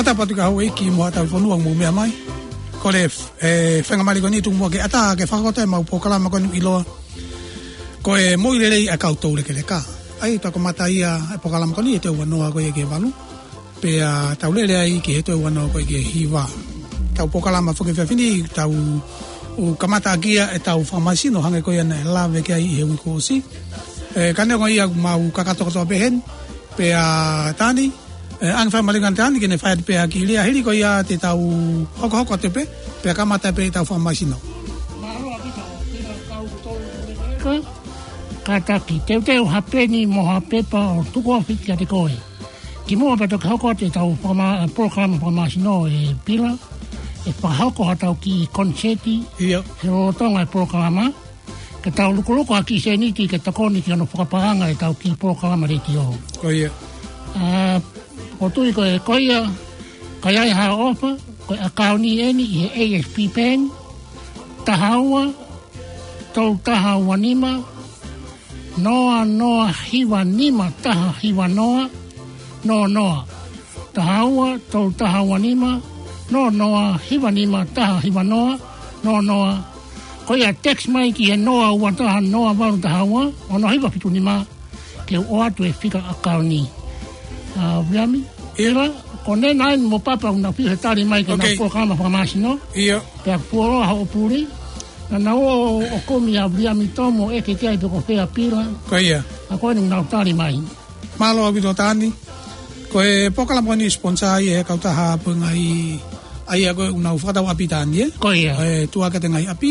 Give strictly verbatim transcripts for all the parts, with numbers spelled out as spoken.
Tapu atu ki he houʻeiki mo haʻa tauhi fonua ʻoku mou meʻa mai. Ko e, e, faingamālie ko eni tuku muʻa ke ʻatā ke fakahoko atu ʻemau polokalama ko eni ʻoku ʻiloa ko e Moʻui Lelei ʻa e Kau Toulekeleka. ʻA ia ʻoku kamata ia e polokalama ko eni he toe ua noa ko ia ki he valu. Pea tau lele ai ki he toe ua noa ko ia ki he hiva. Tau polokalama foki he efiafi ni, tau kamata ʻaki ia ʻetau fakamāsino hangē ko ia naʻe lave ki ai ʻi he uike kuo ʻosi. E, ka neongo ia ʻoku mau kakato kotoa pē heni. Pea Tani, e, ʻoange faingamālie kia Tani ke ne fai atu pē ha kiʻi lea hili ko ia te tau hokohoko atu pē, pea kamata pē ʻetau fakamāsino. Ka, kātaki, teuteu ha peni mo ha pepa ʻo tuku ofi kiate koe. Kimuʻa pea toki hoko atu ʻetau fakama-, polokalama fakamāsino ʻe Pila, ʻe fakahoko haʻatau kiʻi konisēti, ʻIo. he lolotonga e polokalama, ke tau lukuluku ha kiʻi sēniti ke tokoni ki hono fakapaʻanga ʻetau kiʻi polokalama letiō. Ko ia. ʻA, ʻoku ou tui ko e, ko ia, ka ʻi ai haʻo ʻofa, ko e ʻakauni eni ʻi he A S P Bank, taha ua, tolu taha ua nima, noa noa hiva nima taha hiva noa, noa noa. Taha ua, tolu taha ua nima, noa noa hiva nima taha hiva noa, noa noa. Ko ia text mai ki he noa ua taha noa valu taha ua, ono hiva fitu nima, ke u ʻoatu e fika ʻakauni. ʻA, Viliami? ʻIo. Pila, ko ena eni mo Papa ʻoku nau fiu he tali mai ki heʻenau Ok. polokalama fakamāsino. ʻIo. Pea kuo fuoloa hoʻo puli. Naʻa nau ō ʻo kumi ʻa Viliami Tomo ʻeke ki ai pe ko fē ʻa Pila. Ko ia. ʻA ko eni ʻoku nau tali mai. Mālō ʻaupito Tani. Ko e polokalama ko eni sponsor ia ʻe he kautaha Puengai, ʻa ia ko ē ʻoku nau fakatau ʻapi Tani, ē? Ko ia. ʻE tuʻu ʻaki ʻa e ngaahi ʻapi.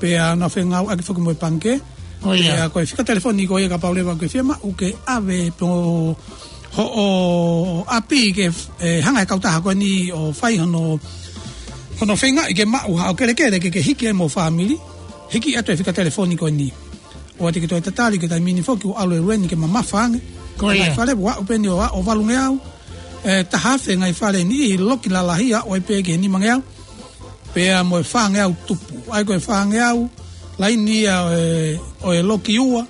Pea nau fengāueʻaki foki mo e pangikē. Ko ia. Pea ko e fika telefoni ko ia kapau leva ʻoku ke fiemaʻu ke ʻave pē hoʻo ʻapi ke, e, hanga ʻe he kautaha ko eni ʻo fai hono, hono feingaʻi ke maʻu haʻo kelekele ke ke hiki ai mo e fāmili. Hiki atu e fika telefoni ko eni. ʻOua te ke toe tatali ki he taimi ni foki ʻoku ʻalu e lue ni ke mamafa ange. Ko ia. Ngaahi fale ʻoku aʻu pē eni ʻo, ʻo valungeau. E, taha afe ngaahi fale ni ʻi loki lalahi aʻu ai pē ki he nimangeau. Pea mo e fāngeau tupu. ʻA ia ko e fāngeau, laini ia ʻo e, ʻo e loki ua,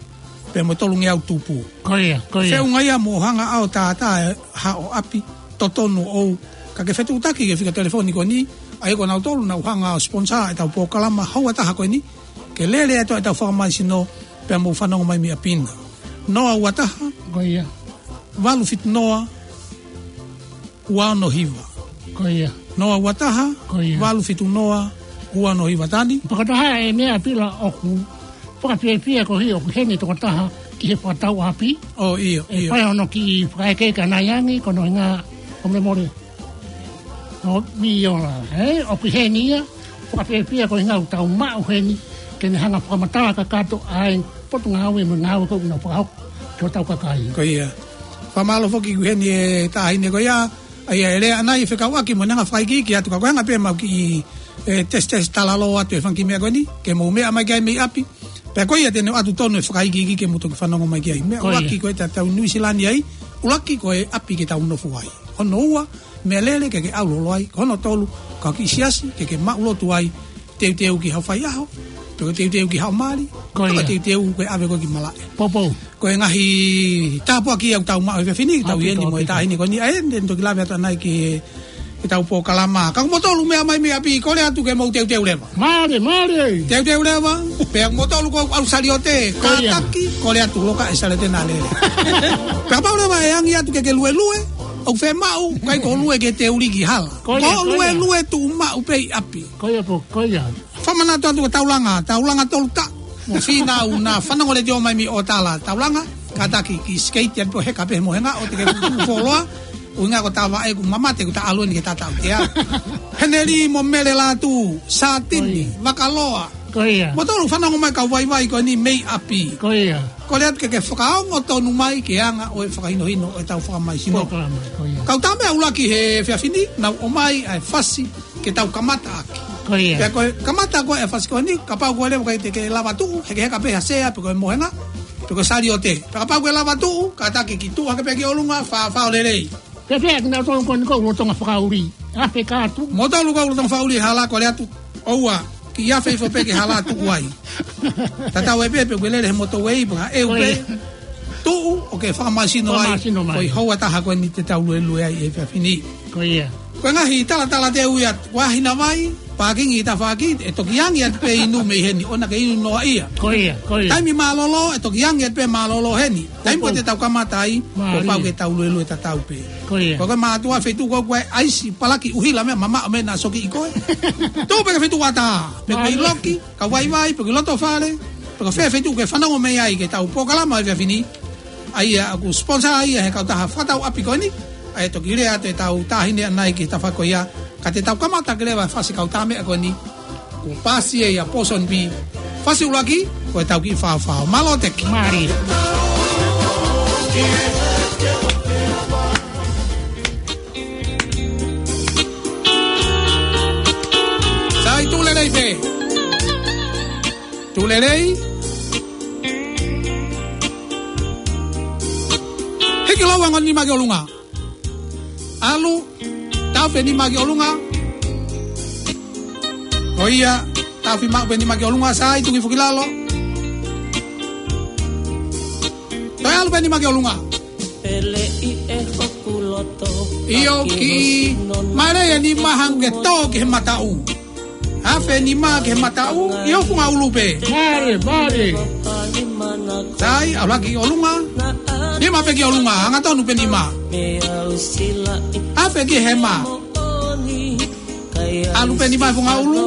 pea mo e tolungeau tupu. Ko ia, ko ia. Feʻunga ia mo hanga ʻo tātā e haʻo ʻapi, totonu ʻoʻou. Ka ke fetuʻutaki ki he fika telefoni ko eni, ʻa ia ko nautolu naʻa nau hanga ʻo sponsor ʻetau polokalama houa taha ko eni, ke lele atu ʻetau fakamāsino, pea mou fanongo mai mei ʻapi na. Noa ua taha, Ko ia. valu fitu noa, ua ono hiva. Ko ia. Noa ua taha, Ko ia. valu fitu noa, ua ono hiva Tani. Fakataha e meʻa Pila ʻoku fakafiefia koeʻuhi ʻoku ʻi heni e tokotaha ki he fakatau ʻapi. ʻO ʻio, ʻE ʻio. fai hono kiʻi fakaʻekeʻeke ʻanai ange, ko hono ʻuhinga ʻoku mole mole. ʻO miola, ē? ʻOku ʻi heni ia, fakafiefia koeʻuhi ʻoku tau maʻu heni, ke ne hanga fakamatala kakato ʻa e potungāue mo e ngāue ko ē ʻoku nau fakahoko ki hotau kakai. Ko ia. Fakamālō foki ʻoku ʻi heni e taʻahine ko ia, ʻa ia ʻe lea ʻanai fekauʻaki mo ʻene hanga fakaikiiki atu ka ko e hanga pē ʻemau kiʻi, e, tesitesi talaloa atu e fanga kiʻi meʻa ko eni, ke mou meʻa mai ki ai mei ʻapi. Pea ko ia te ne ʻoatu tonu e fakaikiiki ke mou toki fanongo mai ki ai. Meʻa Ko ia. ʻuluaki ko ē te tau Nuʻu Sila ni ai, ʻuluaki ko e ʻapi ke tau nofo ai. Hono ua, meʻalele ke ke ʻalu holo ai, ko hono tolu, ka ko e kiʻi siasi ke ke maʻu lotu ai, teuteu ki haʻo faiʻaho, pe ko e teuteu ki haʻo mali, Ko pe ko e ia. teuteu ke ʻave koe ki malaʻe. Poupou. Ko e ngaahi tāpuaki ia ʻoku tau maʻu he efiafi ni, tau ʻi heni mo e taʻahine ko eni, ʻa ia te ne toki lave atu ʻanai ki he, ki heʻetau polokalama. Ka ko moutolu meʻa mai mei ʻapi, kole atu ke mou teuteu leva. Mālie, mālie. Teuteu leva, pea ko moutolu ko ē ʻoku ʻalu saliote, Ko ia. kātaki, kole atu loka e saliote naʻa lele. Pea kapau leva ʻe ʻange atu ke ke luelue, ʻoku fiemaʻu, ʻikai ko e lue ke teuli ki hala. Ko ia, Ko ko ia. luelue tuʻu maʻu pē ʻi ʻapi. Ko ia pō, ko ia. Fakamanatu atu ko Taulanga, Taulanga Tolutaʻu. Mo Fīnau naʻa fanongo letiō mai mei ʻOtala, Taulanga, kātaki kiʻi sikeiti atu pē ʻo heka pē he mohenga ʻo te ke kuku foloa. ʻUhinga ko Tavaʻe ʻoku mamate ʻoku ta ʻalu eni ke tata ʻutea. Heneli mo Mele Lātū, Sātini, Ko ia. Vakaloa. Ko ia. Moutolu fanongo mai kau vaivai ko eni mei ʻapi. Ko ia. Kole atu ke ke fakaongo tonu mai ki he anga ʻo e fakahinohino ʻo ʻetau fakamāsino. Polokalama, ko ia. Kau tā meʻa ʻuluaki he efiafi ni, naʻa ku ʻomai ʻa e fasi ke tau kamata ʻaki. Ko ia. Pea ko e kamata ko ē e fasi ko eni, kapau ko e leva ʻikai te ke lava tuʻu, hekeheka pē ha sea, pe ko e mohenga, pe ko e saliote. Pea kapau ko e lava tuʻu, kātaki ke tuʻu hake pē ki ʻolunga, fāfā ʻo lelei. Pea pea kinautolu ko eni ʻoku lolotonga fakaʻuli. Afe ka atu. Moutolu ʻoku lolotonga fakaʻuli he hala kole atu. ʻOua, kiʻi afe hifo pē ki he hala tuʻu ai. Tatau ai pē pe ʻoku ke lele he motorway, pe ko e ʻeu Ko pē. ia. Tuʻu ʻo ke fakamāsino ai. Fakamāsino mai. Ko e houa taha ko eni te tau luelue ai he efiafi ni. Ko ia. Ko e ngaahi talatala te u ia, ko e hā hina vai, pākingi ʻi tafaʻaki, ʻe toki angi atu pē inu mei heni, ʻoua ke inu noa ia. Ko ia, ko ia. Taimi mālōlō, ʻe toki angi atu pē mālōlō heni. Taimi ko ē te tau kamata ai, kuo pau ke tau luelue tatau pē. Ko ia. Ko e mātuʻa feituʻu ko ē ʻoku ʻai ʻaisi, palaki, ʻuhila meʻa, mamaʻo meʻa naʻa soki ʻi koe. Tuʻu pē ki he feituʻu ʻatā, pe ko e loki, kau vaivai, pe ko e loto fale, pe ko fē feituʻu ke fanongo mei ai ki heʻetau polokalama ʻo e efiafi ni. ʻA ia ʻoku sponsor ia ʻe he kautaha fakatau ʻapi ko eni, ʻa ia toki lea atu ʻetau taʻahine ʻanenai ki he tafaʻaki ko ia, ka te tau kamata ke lea ʻa e fasi kautaha meʻa ko eni, kuo pasi ʻe ia Pōsoni Pī, fasi ʻuluaki, ko ʻetau kiʻi faofao. Mālō Teki. Mālie. Sai, tuʻu lelei pē. Tuʻu lelei. Hiki lōua e ongo nima ki ʻolunga. ʻAlu, taʻofi e nima ki ʻolunga. Ko ia, taʻofi maʻu pē nima ki ʻolunga, sai, tuki foki lalo. Toe ʻalu pē nima ki ʻolunga. ʻIo, kiʻi mālie e nima hangē ke tō ki he mataʻu. Afe e nima ki he mataʻu, ʻi ho funga ʻulu pē. Mālie, mālie. Sai, ʻalu hake ki ʻolunga. Nima pē ki ʻolunga, angatonu pē nima. Afe ki he hema. ʻAlu pē nima he funga ʻulu.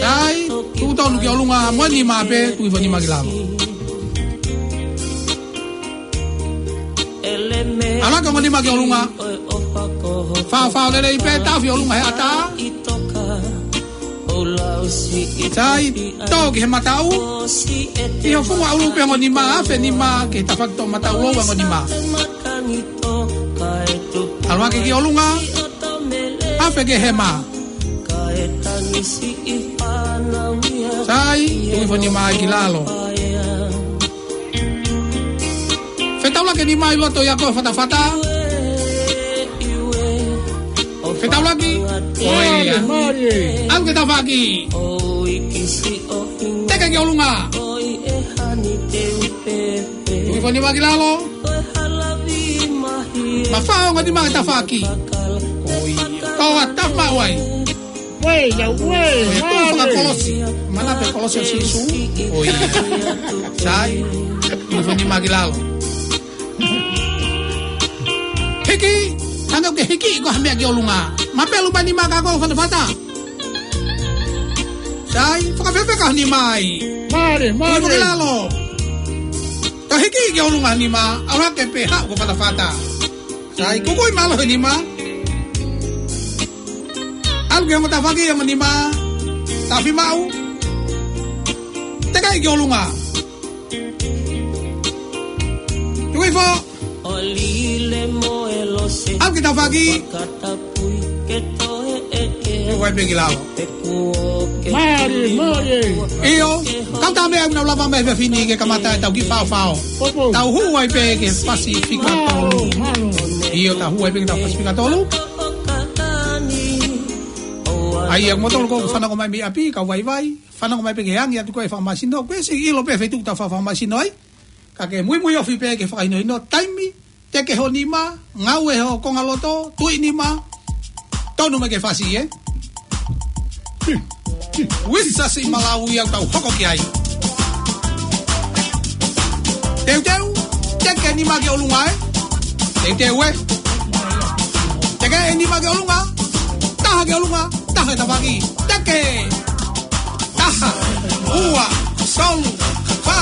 Sai, tuʻu tonu ki ʻolunga, mo e nima pē, tuki foki e nima ki lalo. ʻAlu hake e ongo nima ki ʻolunga. Faofao lelei pē, taʻofi ʻolunga he ʻatā. Sai, tō ki he mataʻu. ʻI ho funga ʻulu pē e ongo nima, afe e nima ki he tafaʻaki toʻomataʻu lōua e ongo nima. ʻAlu hake ki ʻolunga. Afe ki he hema. Sai, tuki foki e nima ki lalo. Fetaulaki e nima ʻi loto ʻia koe fatafata. Fetaulaki. Ko ia. Mālie, mālie. ʻAlu ki he tafaʻaki. Teke ki ʻolunga. Tuki foki e nima ki lalo. Mafao e ongo nima he tafaʻaki. Ko ia. Ko e tafa mai. Uē, ia uē, ko e tuʻu mālie. Fakakolosi. Manatu pē kolosi ʻo Sīsū. Ko ia. Sai. Tuki foki e nima ki lalo. Hiki. Hangē ʻoku ke hiki ʻi ko ha meʻa ki ʻolunga. Mapelu mai e nima kia koe fatafata. Sai. Fakafefeka e nima ai. Mālie, mālie. Tuki foki lalo. Toe hiki ki ʻolunga e nima. ʻAlu hake pē haʻu ko fatafata. Sai, kukuʻi mālohi e nima. ʻAlu ki he ongo tafaʻaki e ongo nima. Taʻofi maʻu. Teke ki ʻolunga. Tuki foki. ʻAlu ki he tafaʻaki. Tuki foki pē ki lalo. Mālie, mālie. ʻIo, kautaha meʻa ʻoku nau lava mai he efiafi ni ke kamata ʻetau kiʻi faofao. Tau hū ai pē ki he Pasifika tolu. Mālō, mālō. ʻIo, tau hū ai pē ki he Pasifika tolu. ʻA ia, kimoutolu ʻoku fanongo mai mei ʻapi, kau vaivai. Fanongo mai pē ke angi atu ko e fakamasino. Ko e siʻi ʻilo pē feituʻu ʻoku tau fakamasino ai. Ka ke muimui ofi pē ke fakahinohino taimi, teke ho nima, ngāue ho konga loto, tuʻi nima, tonu mai ke fasi, ē? Uisa siʻi malau ia ʻoku tau hoko ki ai. Teuteu, teke nima ki ʻolunga, ē? Teuteu, ē? Teke e nima ki ʻolunga, taha ki ʻolunga, taha tafaʻaki, teke! Taha, ua, tolu, fā.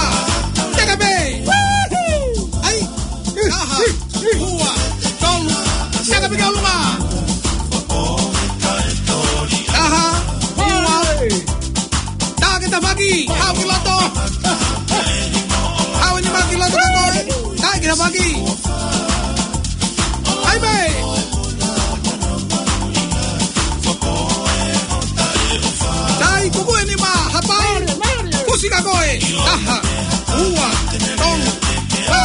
Teke pē. ʻAi. Taha, ua, tolu. Teke pē ki ʻolunga. Taha, ua. Teke tafaʻaki. Haʻu ki loto. Haʻu e nima ki loto ka koe. Teke tafaʻaki. ʻAi pē. Sai, kukuʻi e nima, hapai. Kusi ka koe. Taha, ua, tolu, fā,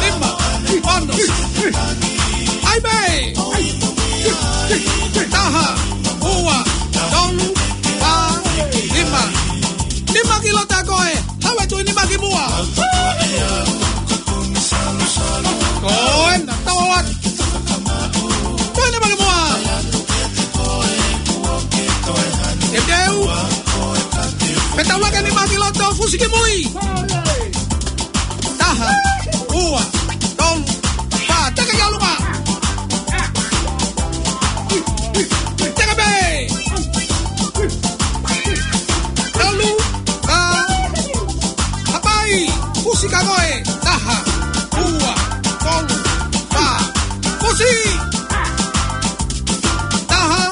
nima, ono. ʻAi pē. Taha, ua, tolu, fā, nima. Nima ki loto ka koe. Haʻu e tuʻi nima ki muʻa. Ko ena, tau atu. Tuʻi nima ki muʻa. Fusi ki mui. Taha, ua, tolu, fā. Teke ki ʻolunga. Teke pē. Tolu, fā. Hapai. Fusi ka koe. Taha, ua, tolu, fā. Fusi. Taha,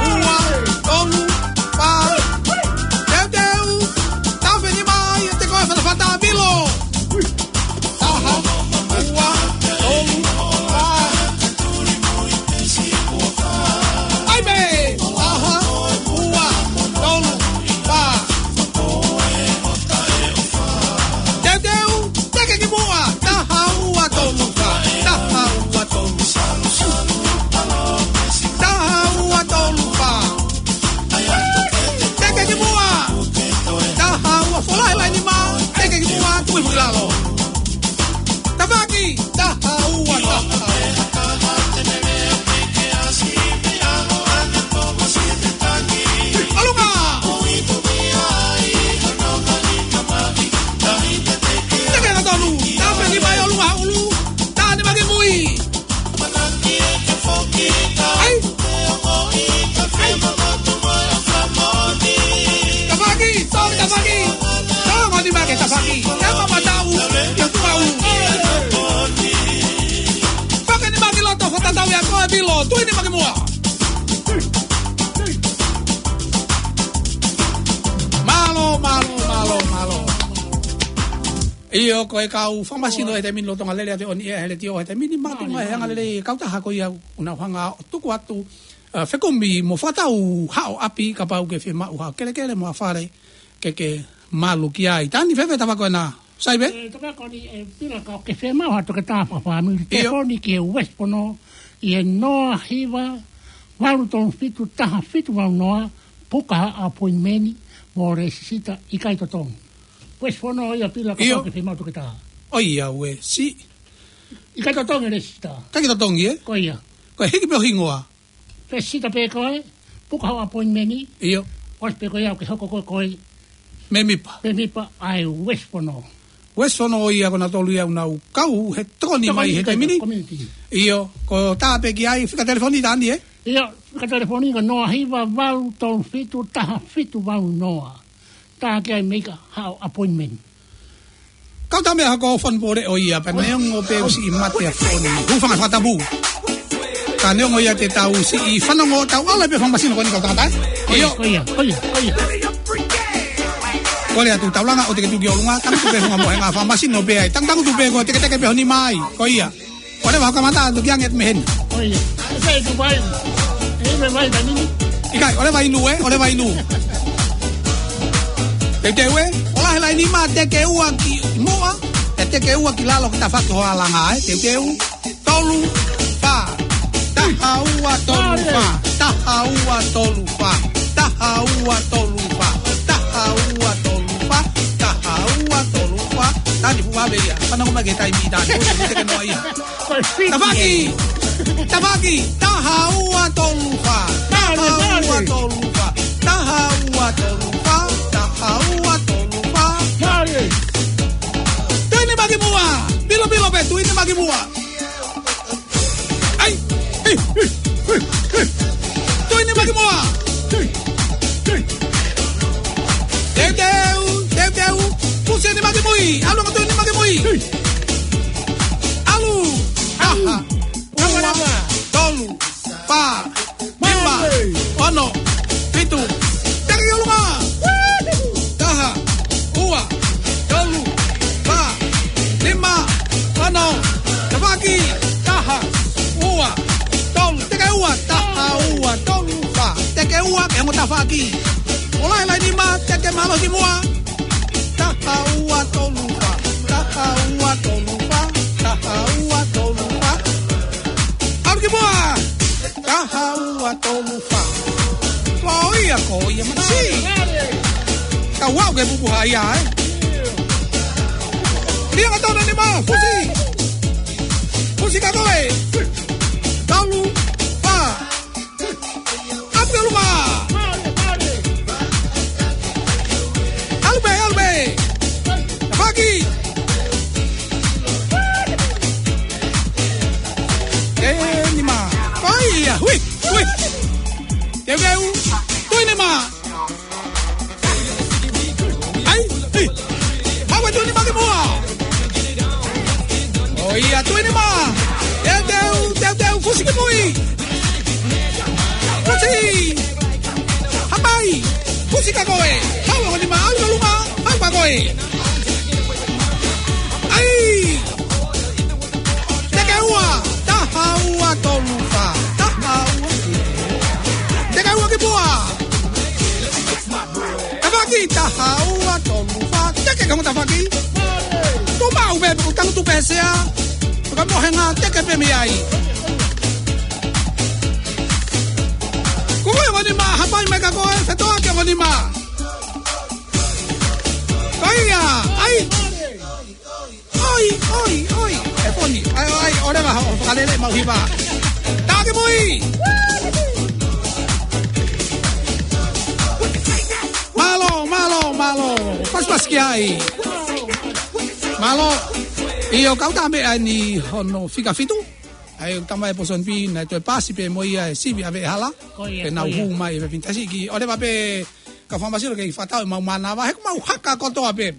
ua, tolu, fā. Teuteu. Tafe ni mai, te koe fata fata pilo. Taha, ua, tolu, fā. ʻAi pē. Taha, ua, tolu, fā. Teuteu, teke ki muʻa. Taha, ua, tolu, fā. Taha, ua, tolu, fā. Taha, ua, tolu, fā. Teke ki muʻa. Taha, ua, folahi laine mā. Teke ki muʻa, tui ki lalo. Tafaʻaki. Taha, ua, taha. ʻOlunga. Teke na tolu. Tafe ni mai ʻolunga ʻulu. Taha ni mai ki mui. ʻAi. ʻAi. Tafaʻaki, tau tafaʻaki. Tau ni mai ki tafaʻaki. Ia mama tau, ia tuʻu. Fake ni mai ki loto, fakatatau ia ko e pilo, tui ni mai ki muʻa. Mālō, mālō, mālō, mālō. ʻIo, ko e kau fakamasino ʻi he taimi ni ʻi Tonga Lele ʻa e ʻOniʻea he Letiō he taimi ni, mātuʻaki ʻi he anga lelei e kautaha ko ia ʻoku nau hanga ʻo tuku atu, ʻa, fekumi mo fakatau haʻo ʻapi kapau ʻoku ke fiemaʻu haʻo kelekele mo ha fale ke ke malu ki ai. Tani fēfē tapa ko ena, Saive? ʻE, tapa ko eni, ʻe, Pila, ka ʻoku ke fiemaʻu ha toketā fakafāmili, ʻio, telefoni ki he West Pono ʻi he noa hiva valu tolu fitu taha fitu valu noa, puka ha appointment mo lēsisita, ʻikai totongi. West Pono ia, Pila, ka, ʻio, ʻoku ke fiemaʻu toketā. ʻOiauē, siʻi. ʻIkai totongi lēsisita. ʻIkai totongi, ē? Ko ia. Ko e hiki pē ho hingoa. Lēsisita pē koe, puka ho appointment. ʻIo. ʻOsi pē ko ia ʻoku ke hoko koe ko e mēmipa. Mēmipa ʻa e West Pono. West Pono ia ko ena tolu ia ʻoku nau kau he tokoni mai he taimi ni. Community. ʻIo, ko e tā pē ki ai, fika telefoni Tani, ē? ʻIo, fika telefoni ko e noa hiva valu tolu fitu taha fitu valu noa. Tā ki ai mei ka haʻo appointment. Kau tā meʻa hako fon pole ʻo ia, pea neongo pē ʻosi ʻi mate ʻa foni. Hūfanga he fakatapu. Ka neongo ia te tau siʻi fanongo, tau ʻalu pē fakamasino ko eni kau tangata, ē? ʻIo. Ko ia, ko ia, ko ia. Kole atu Taulanga ʻo teke tuki ʻolunga, tangutu pē hunga mo henga fakamasino pē ai. Tangutu pē ko e teketeke pē ho nima ai. Ko ia. ʻOleva hoʻo kamata atu ki ange atu mei heni. ʻOi, ʻe sai tu vai. ʻE me vai tani. ʻIkai, ʻoleva inu ē, ʻoleva inu. Teuteu ē, folahi laine mā, teke ua ki muʻa, ʻe teke ua ki lalo ki tafaʻaki ho alanga ē, teuteu, tolu, fā, taha ua tolu fā, taha ua tolu fā, taha ua tolu fā, taha ua tolu fā, taha ua tolu fā, Tani fuʻu ʻave ia, fanongo mai ki he taimi Tani, ʻo teke noa ia. Ko e fiki. Tafaʻaki. Tafaʻaki. Taha ua tolu fā. Male, male. Taha ua tolu fā. Taha ua tolu fā. Taha ua tolu fā. Male. Tui ni mai ki muʻa. Pilo, pilo pē, tui ni mai ki muʻa. ʻAi. Hei, hei, hei, hei. Tui ni mai ki muʻa. Hei, hei. Teuteu, teuteu. Fusi ni mai ki mui. ʻAlu ange tui ni mai ki mui. Hei. ʻAlu. Taha, ua, tolu, fā, nima, ono, fitu. Teke ki ʻolunga. Taha, ua, tolu, fā, nima, ono. Tafaʻaki. Taha, ua, tolu. Teke ua. Taha, ua, tolu, fā. Teke ua, ke mo tafaʻaki. Folahi laine mā, teke mālohi ki muʻa. Taha ua tolu fā, taha ua tolu fā, taha ua tolu fā. ʻAlu ki muʻa. Taha ua tolu fā. Ko ia, ko ia, masi. Ka ua ke pupu hai ai. Lia ka tona ni mā, fusi. Fusi ka koe. Tolu, fā. ʻAlu pē ʻolunga. ʻAlu pē, ʻalu pē. Hui, hui. Teuteu. Tui nima. ʻAi, ʻi. Haʻu e tui nima ki muʻa. ʻOi, ʻa tui nima. Teuteu, teuteu, fusi ki mui. Fusi. Hapai. Fusi ka koe. Haʻu e ongo nima, ʻalu ki ʻolunga. Haʻu ka koe. ʻAi. Teke ua, taha ua tolu fā, taha ua. Teke ua ki muʻa. Tafaʻaki, taha ua tolu fā, teke ka mo tafaʻaki. Tuʻu maʻu pē, ʻoku tangutu pē sea. Ka mohenga, teke pē mei ai. Kuku e ongo nima, hapai mai ka koe, fetoʻaki e ongo nima. Ko ia, ʻai. ʻOi, ʻoi, ʻoi. ʻE Poni, ʻai, ʻai, ʻoleva hoʻo fakalele mau hiva. Taki mui. Mālō, mālō, mālō. Pasipasi ki ai. Mālō. ʻIo, kau tā meʻa ni hono fika fitu. ʻAi, tama e Pōsoni Pī, naʻe toe pasi pē mo ia e sivi ʻa Veʻehala. Ko ia, ko ia. Pea nau hū mai e Pīnitasi ki. ʻOleva pē ka famasiro ke fakatau e mau mānava. He ʻoku mau haka kotoa pē.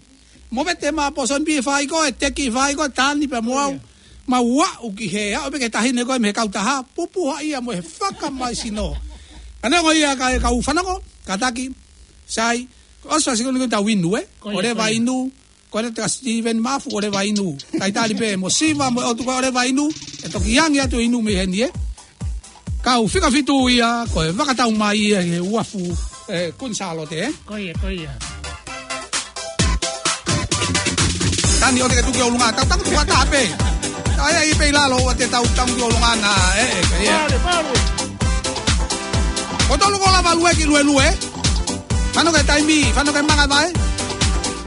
Mo vete ma Pōsoni Pī fai ko e teki fai ko e tani pē mo au. Ia. Mau aʻu ki he, aʻu pē ki he taʻahine ko ē mei he kautaha, pupuha ia mo e fakamaisino. Ka neongo ia ka e kau fanongo, kātaki, sai, ʻosi fasi ko eni ko e tau inu, ē? Ko ia, ʻoleva ko ia. Inu, ko e te ka Steven Mafu, ʻoleva inu. Talitali pē, mo Siva, mo e ʻotu ko e ʻoleva inu, ʻe toki angi atu inu mei heni, ē? Kau fika fitu ia, ko e fakatau mai ia he uafu, ē, Kuini Sālote, ē? Ko ia, ko ia. Tani ʻoua te ke tuku ki ʻolunga, tau tangutu fakataha pē. Tau ʻai pē ʻi lalo ʻoua te tau tangutu ki ʻolunga na, ē, ē, ē. Vale, vale. Ko tolu ko lava lue ki luelue. Fano ke taimi, fano ke manga mai.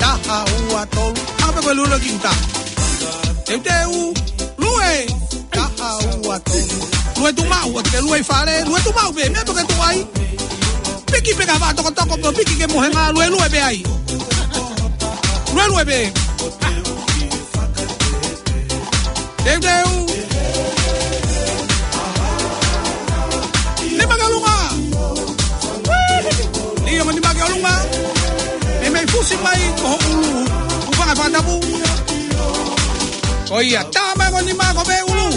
Taha ua tolu. Manga pē ko e luelue ki uta. Teuteu, lue. Taha ua tolu. Lue tuʻu maʻu, ʻoua te ke lue ʻi fale, lue tuʻu maʻu pē, meʻa toke tuʻu ai. Piki pē ka vā tokotoko, piki ke mohenga, luelue pē ai. Luelue pē. Teuteu. Nima ki ʻolunga. Lī ongo nima ki ʻolunga. Meimei fusi mai ko ho ʻulu. Ufanga fakatapu. Ko ia, tā mai ongo nima ko pē ʻulu.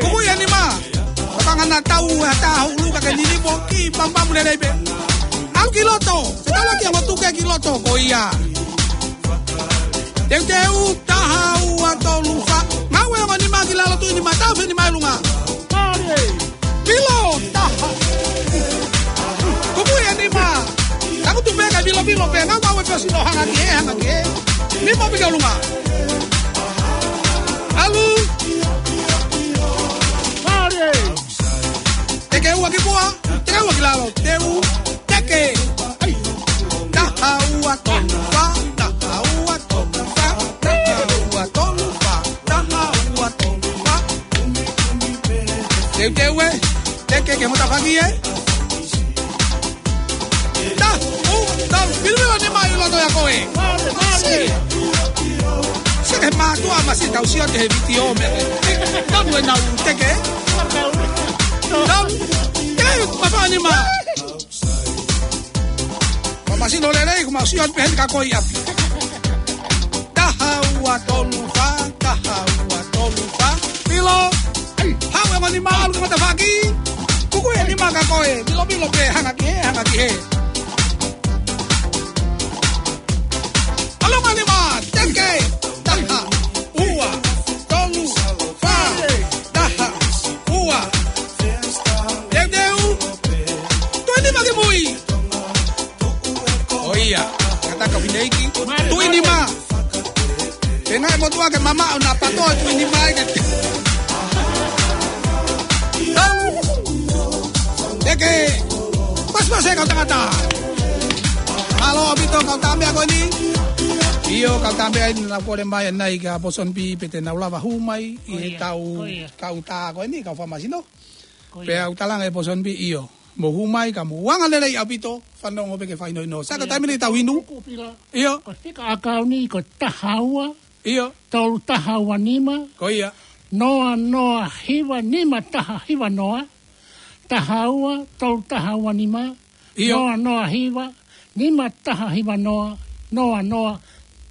Kuku ia nima. Ko kanga na tau e tā ho ʻulu ka ke ninipo ki pampamu lelei pē. ʻAlu ki loto. Se tala ki ongo tuke ki loto. Ko ia. Teuteu, taha ua tolu fā. Ngāue ongo nima ki lalo, tui nima, tau feni mai ʻolunga. Milo, taha. Kuku ia nima. Tangutu pē ka milo, milo pē. Ngāue, ngāue pē ʻosi no hanga ki hē, hanga ki hē. Nima pē ki ʻolunga. ʻAlu. Teke ua ki muʻa, teke ua ki lalo, teu, teke. ʻAi. Taha ua tolu fā, taha ua tolu fā, taha ua tolu fā, taha ua tolu fā. Teuteu ē, teke ke mo tafaʻaki ē. Ta, u, ta, pilipili ni mai loto ia ko ē. Masi. Se ke mātuʻa masi tau sio te he vitiō meʻa. Tau e nau teke. Tau. Tau. Tau. Mafani ma. Famasino lelei, ko mau sio pē heni ka ko ia. Taha ua tolu fā, taha ua tolu fā. Milo. Haʻu e ongo nima ʻalu ki matafaʻaki. Kuku e nima ka ko ē. Milo, milo pē, hanga ki hē, hanga ki hē. ʻAlu ongo nima, teke. Taha, ua, tolu, fā. Taha, ua. Teuteu. Tui nima ki mui. ʻOi ia, kātaki fineʻeiki. Tui nima. Pea ngaahi motuʻa ke mamaʻo na pato tui nima ai ke. Teke. Pasipasi e kau tangata. Mālō ʻaupito kau tā meʻa ko eni. ʻIo, kau tā meʻa eni naʻa kole mai ʻanenai kia Pōsoni Pī pe te nau lava hū mai ʻi he tau, kau tā ko eni, kau famasino. Ko ia. Pea u talaange Pōsoni Pī ʻio. Mo hū mai ka mo anga lelei ʻaupito, fanongo pē ke fakahinohino. Sa ka taimi ni tau inu. Kuku pila. ʻIo. Ko e fika ʻakauni ko e taha ua. ʻIo. Tolu taha ua nima. Ko ia. Noa noa hiva nima taha hiva noa. taha ua, tolu taha ua nima, ʻio, noa noa hiva, nima taha hiva noa, noa noa,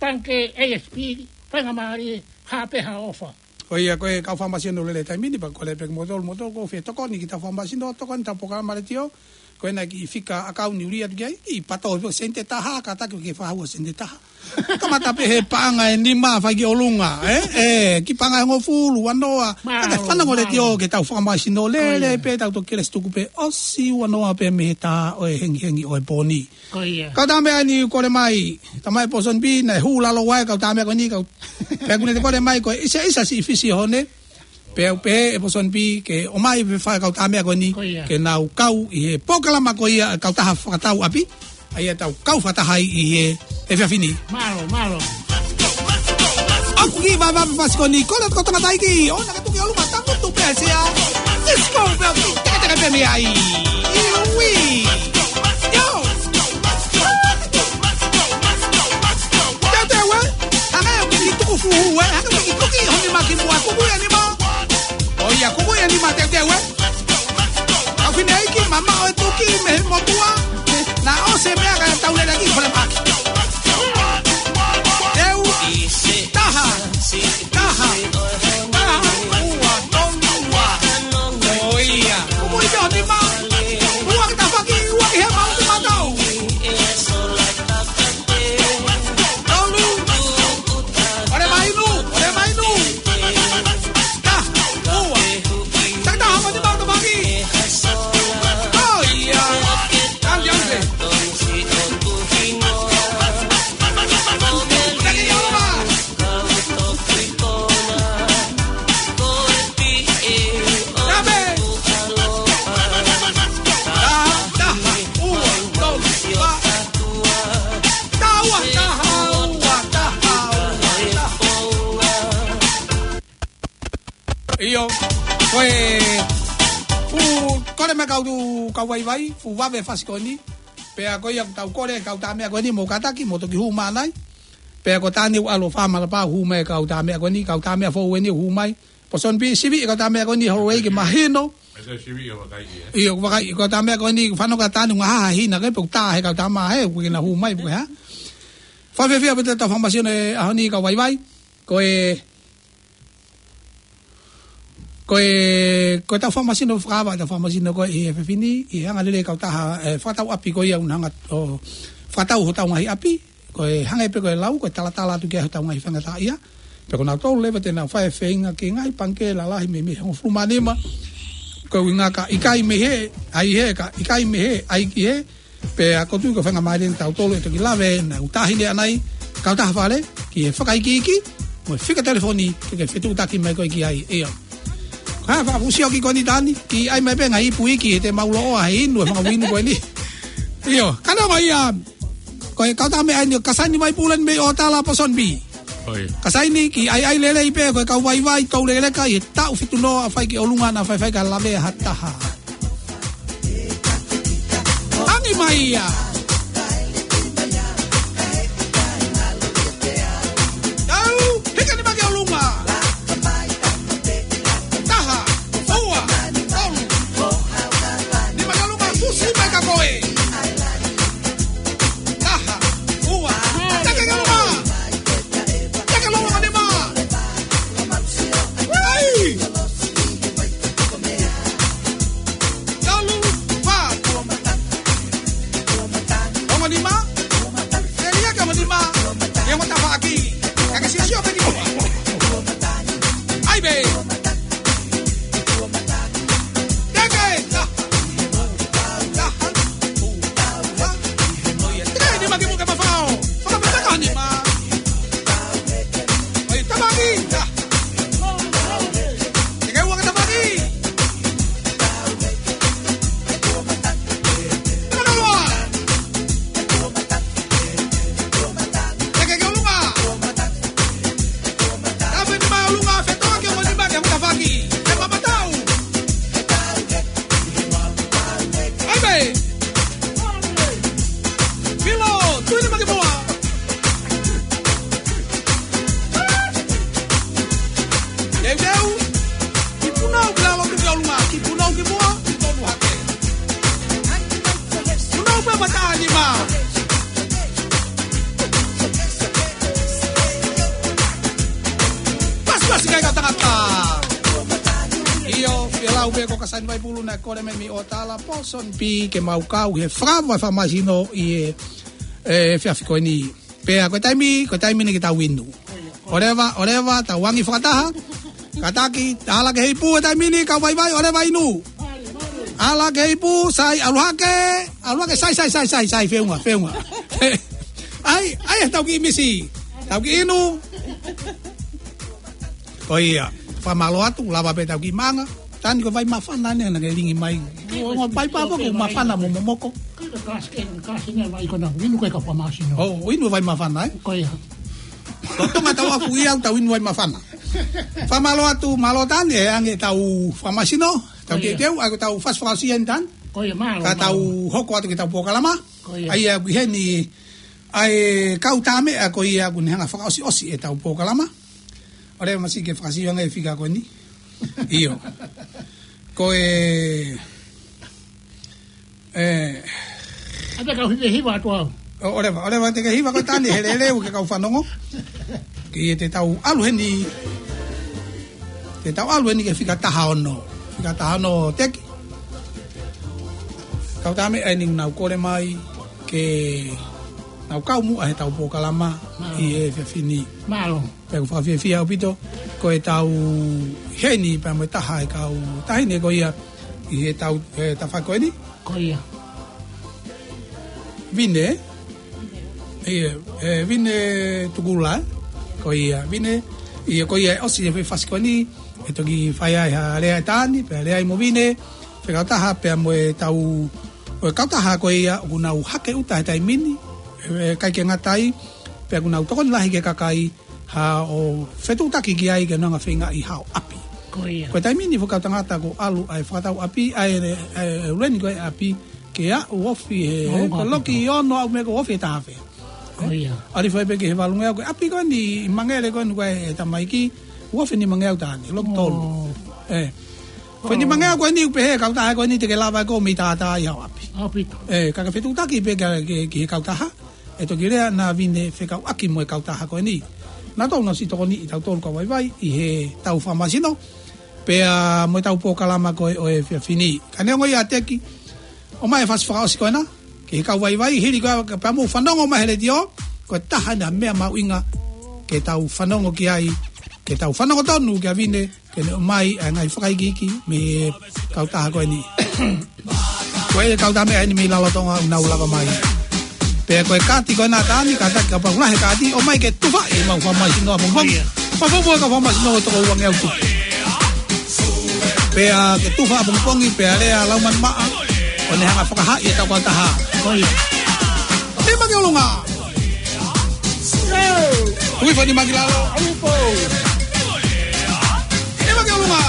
pangikē A S P, faingamālie, hā pē ha ʻofa. Ko ia, ko e kau fakamasino lele taimi ni, pea ko e leʻo pē kimoutolu, moutolu ʻoku fie tokoni ki he kau fakamasino, tokoni ki he polokalama letiō, ko ena kiʻi fika ʻakauni ʻuli atu ki ai, kiʻi pato, sente taha, kātaki ke fakahū ha sente taha. Kamata pē he paʻanga ʻe nima fai ki ʻolunga, ē? Ē, kiʻi paʻanga ʻe hongofulu, ua noa. Mālō, kātaki fanongo mālō. Letiō ki he kau fakamasino lelei, ko ia, pea tau toki kelesi tuku pē ʻosi ua noa pē mei he taha ʻo e hengihengi ʻo e pō ni. Ko ia. Kau tama meʻa ni kole mai, tama e Pōsoni Pī, naʻe hū lalo ʻa e kau tama meʻa ko eni, kau. Pea ʻoku ne kole mai ko e ʻisa ʻisa siʻi fisi ʻo hone. Pea u pehē ʻe Pōsoni Pī ke ʻomai pē fai kau tama meʻa ko eni, ko ia, ke nau kau ʻi he polokalama ko ia kau taha fakatau ʻapi. ʻA ia tau kau fakataha ai ʻi he efiafi ni. Mālō, mālō. ʻOku kiʻi vavevave fasi ko eni, kole atu ko tangataʻeiki, ʻoua naʻa ke tuki ʻolunga, tangutu pē ʻa e sea. Let's go, pea u teketeke pē mei ai. Iwi. Yo. Teuteu ē, hangē ʻoku ke kiʻi tuku fuhu ē, hangē ʻoku ke kiʻi tuki ho nima ki muʻa, kuku ia nima. ʻO ia, kuku ia nima, teuteu ē. Kau fineʻeiki, mamaʻo e tuki mei he motuʻa, naʻa ʻosi e meʻa kae tau lele ki fale maki. Teu, taha, taha, taha, ua, tolu, ua. ʻO ia. Kuku ia ho nima. Ua ki tafaʻaki, ua ki hema, ua ki matau. Tolu. ʻOle mai nu, ʻole mai nu. Taha, ua. Taha, taha, mani mau tamaki. ʻO ia. Ange, ange. Taki ʻolunga. Tape. Taha, taha, ua, tolu, ua. Taha ua, taha ua, taha ua, taha ua. ʻIo, ko e fuʻu kole mai kau, kau vaivai, fuʻu vave fasi ko eni. Pea ko ia ʻoku tau kole, kau tama meʻa ko eni, mou kātaki, mou toki hū mai ai. Pea ko Tani ʻoku ʻalu ʻo fāmala pau hū mai kau tama meʻa ko eni, kau tama meʻa foʻou eni hū mai. Pōsoni Pī, sivi, kau tama meʻa ko eni, Holloway ke mahino. Ese sivi ʻo vakai ē. ʻIo, vakai, kau tama meʻa ko eni, fanongo Tani, ngaahi hina ke, pea ʻoku tā he kau tama ē, ʻoku ke na hū mai, pea ha. Fakafiefia pē ʻetau fakamasino he ʻaho ni kau vaivai. Ko e, ko e, ko ʻetau fakamasino fakaava, ʻetau fakamasino ko ē ʻi he efiafi ni, ʻi he anga lelei kau taha, ē, fakatau ʻapi ko ia ʻoku na hanga ʻo fakatau hotau ngaahi ʻapi, ko e hangē pē ko e lau, ko e talatala atu ki ai hotau ngaahi faingataʻaʻia. Pea ko nautolu leva te nau fai e feinga ki he ngaahi pangikē lalahi mei, mei he hongofulu mā nima. Ko e ʻuhinga ka ʻikai mei he, ʻai he, ka ʻikai mei he, ʻai ki he, pea ʻoku ou tui ko e faingamālie ʻatautolu ʻe toki lave, naʻa ku tahi lea ʻanai, kau taha fale, ki he fakaikiiki, mo e fika telefoni, ke ke fetuʻutaki mai koe ki ai, ʻio. Ka fakafusi ʻoku ko eni Tani, kiʻi ʻai mai pē ngaahi ipu iiki, he te mau loʻo ʻa e inu, e fanga uini ko eni. ʻIo, ka naʻa ko ia, ko e kau tama meʻa eni, ka saini mai pule ni mei ʻo tala Pōsoni Pī. ʻOi. Ka saini kiʻi ʻaiʻai lelei pē, ko e kau vaivai, tau lekeleka, ʻi he taʻu fitu noa, fai ki ʻolunga naʻa faifai ka lave ha taha. Angi mai ia. Tau, hika ni maki ʻolunga. Taha, ua, tolu. Ni maki ʻolunga, fusi mai ka koe. Taha, ua, take ke ʻolunga. Take ʻolunga ni ma. Ai! Tolu, fā. ʻIo, ʻe lau pē ko Kasani Vaipulu naʻe kole mai mei ʻOtala, Pawson P, ke mau kau he fakava fakamaisino ʻi he, e, efiafi ko eni. Pea ko e taimi, ko e taimi ni ke tau inu. ʻOleva, ʻoleva, tau angi fakataha. Kātaki, ala ke heipu he taimi ni, kau vaivai, ʻoleva inu. Ala ke heipu, sai, ʻalu hake, ʻalu hake, sai, sai, sai, sai, sai, feʻunga, feʻunga. ʻAi, ʻai, tau kiʻi misi. Tau kiʻi inu. Ko ia, fakamālō atu, lava pē tau kiʻi maʻanga. Tani ko e vai māfana eni, naʻa ke lingi mai. Ko e vai pāpā ko e māfana mo momoko. Ko e kasi ke, kasi ne vai ko na, inu ko e kau fakamaisino. ʻO, inu vai māfana, ē? Ko ia. Ko Tonga tau afu ia, tau inu vai māfana. Fakamālō atu, mālō Tani, ʻe ange tau fakamaisino. Tau Ko ia. Teuteu, ʻa ko tau fasi fakaʻosi eni Tani. Ko ia, mālō, Ka tau mālō. Hoko atu ke tau polokalama. Ko ia. ʻA ia, ʻoku ʻi heni, ʻa e kau tā meʻa ko ia ʻoku ne hanga fakaʻosiʻosi e tau polokalama. ʻOleva masi ke fakasio ange e fika ko eni. ʻIo. Ko e, e, ʻAta kau hiva, hiva atu au. ʻO, ʻoleva, ʻoleva te ke hiva ko Tani he leleu ke kau fanongo. Ke ia te tau ʻalu heni. Te tau ʻalu heni ke fika taha ono. Fika taha ono teki. Kau tā meʻa eni nau kole mai ke nau kau muʻa he tau polokalama Mālō. ʻI he efiafi ni. Mālō. Pea ʻoku fakafiefia ʻaupito, ko e tau heni pea mo e taha e kau taʻahine ko ia ʻi he tau, e, tafaʻaki ko eni. Ko ia. Vine. ʻIo, e, Vine Tukula. Ko ia, Vine. ʻIo, ko ia ʻosi e fasi ko eni. ʻE toki fai ai ha lea ʻe Tani, pea lea ai mo Vine. Fekautaha pea mo e tau, ʻo e kautaha ko ia, ʻoku nau hake ʻuta he taimi ni. E, ʻikai ke ngata ai, pea ʻoku nau tokoni lahi ki he kakai, ha ʻo fetuʻutaki ki ai ke nau hanga feingaʻi hao ʻapi. Ko ia. Ko e taimi ni fakautangata ko ʻalu ʻa e fakatau ʻapi, ʻa e, ʻa e, ʻa e leni ko e ʻapi, ke aʻu ofi he, Ko he ko loki ono au me ko ofi he taha afe. Ko ia. ʻAlu fai pē ki he valungeau ko e ʻapi ko eni, mangele ko eni ko e tamaiki, ofi ni mangeau Tani, loki tolu. ʻO. E. Ko eni mangeau ko eni ʻoku pehē kautaha ko eni te ke lava ko mei tātā ʻi hao ʻapi. ʻApito. E, ka ke fetuʻutaki pē ka, ke, ki he kautaha. ʻE toki lea na Vine fekauʻaki mo e kautaha ko eni. Na tau na si tokoni ʻi tau tolu kau vaivai ʻi he tau fakamaisino. Pea mo e tau polokalama ko e ʻo e efiafi ni. Ka neongo ia Teki, ʻomai e fasi fakaʻosi ko ena. Ki he kau vaivai, hili ko ia pea mou fanongo mai he letiō. Ko e taha ena meʻa mahuʻinga. Ke tau fanongo ki ai. Ke tau fanongo tonu kia Vine. Ke ne ʻomai ʻa e ngaahi fakaikiiki mei he kautaha ko eni. Ko e kau tā meʻa eni mei Lalotonga ʻoku nau lava mai. Pea ko e kaati ko ena Tani, kātaki kapau ʻoku lahi e kaati, ʻomai ke tufa ʻi he mau fakamaisino ʻapongipongi. Ia. Pea fou pea kau fakamaisino ʻe toko uangeau tupu. Pea ke tufa ʻapongipongi, pea lea Laumanimaʻa, ʻo ne hanga fakahaaʻi e tau kautaha. Ko ia. Nima ki ʻolunga. Tui fo nima ki lalo. Nima ki ʻolunga.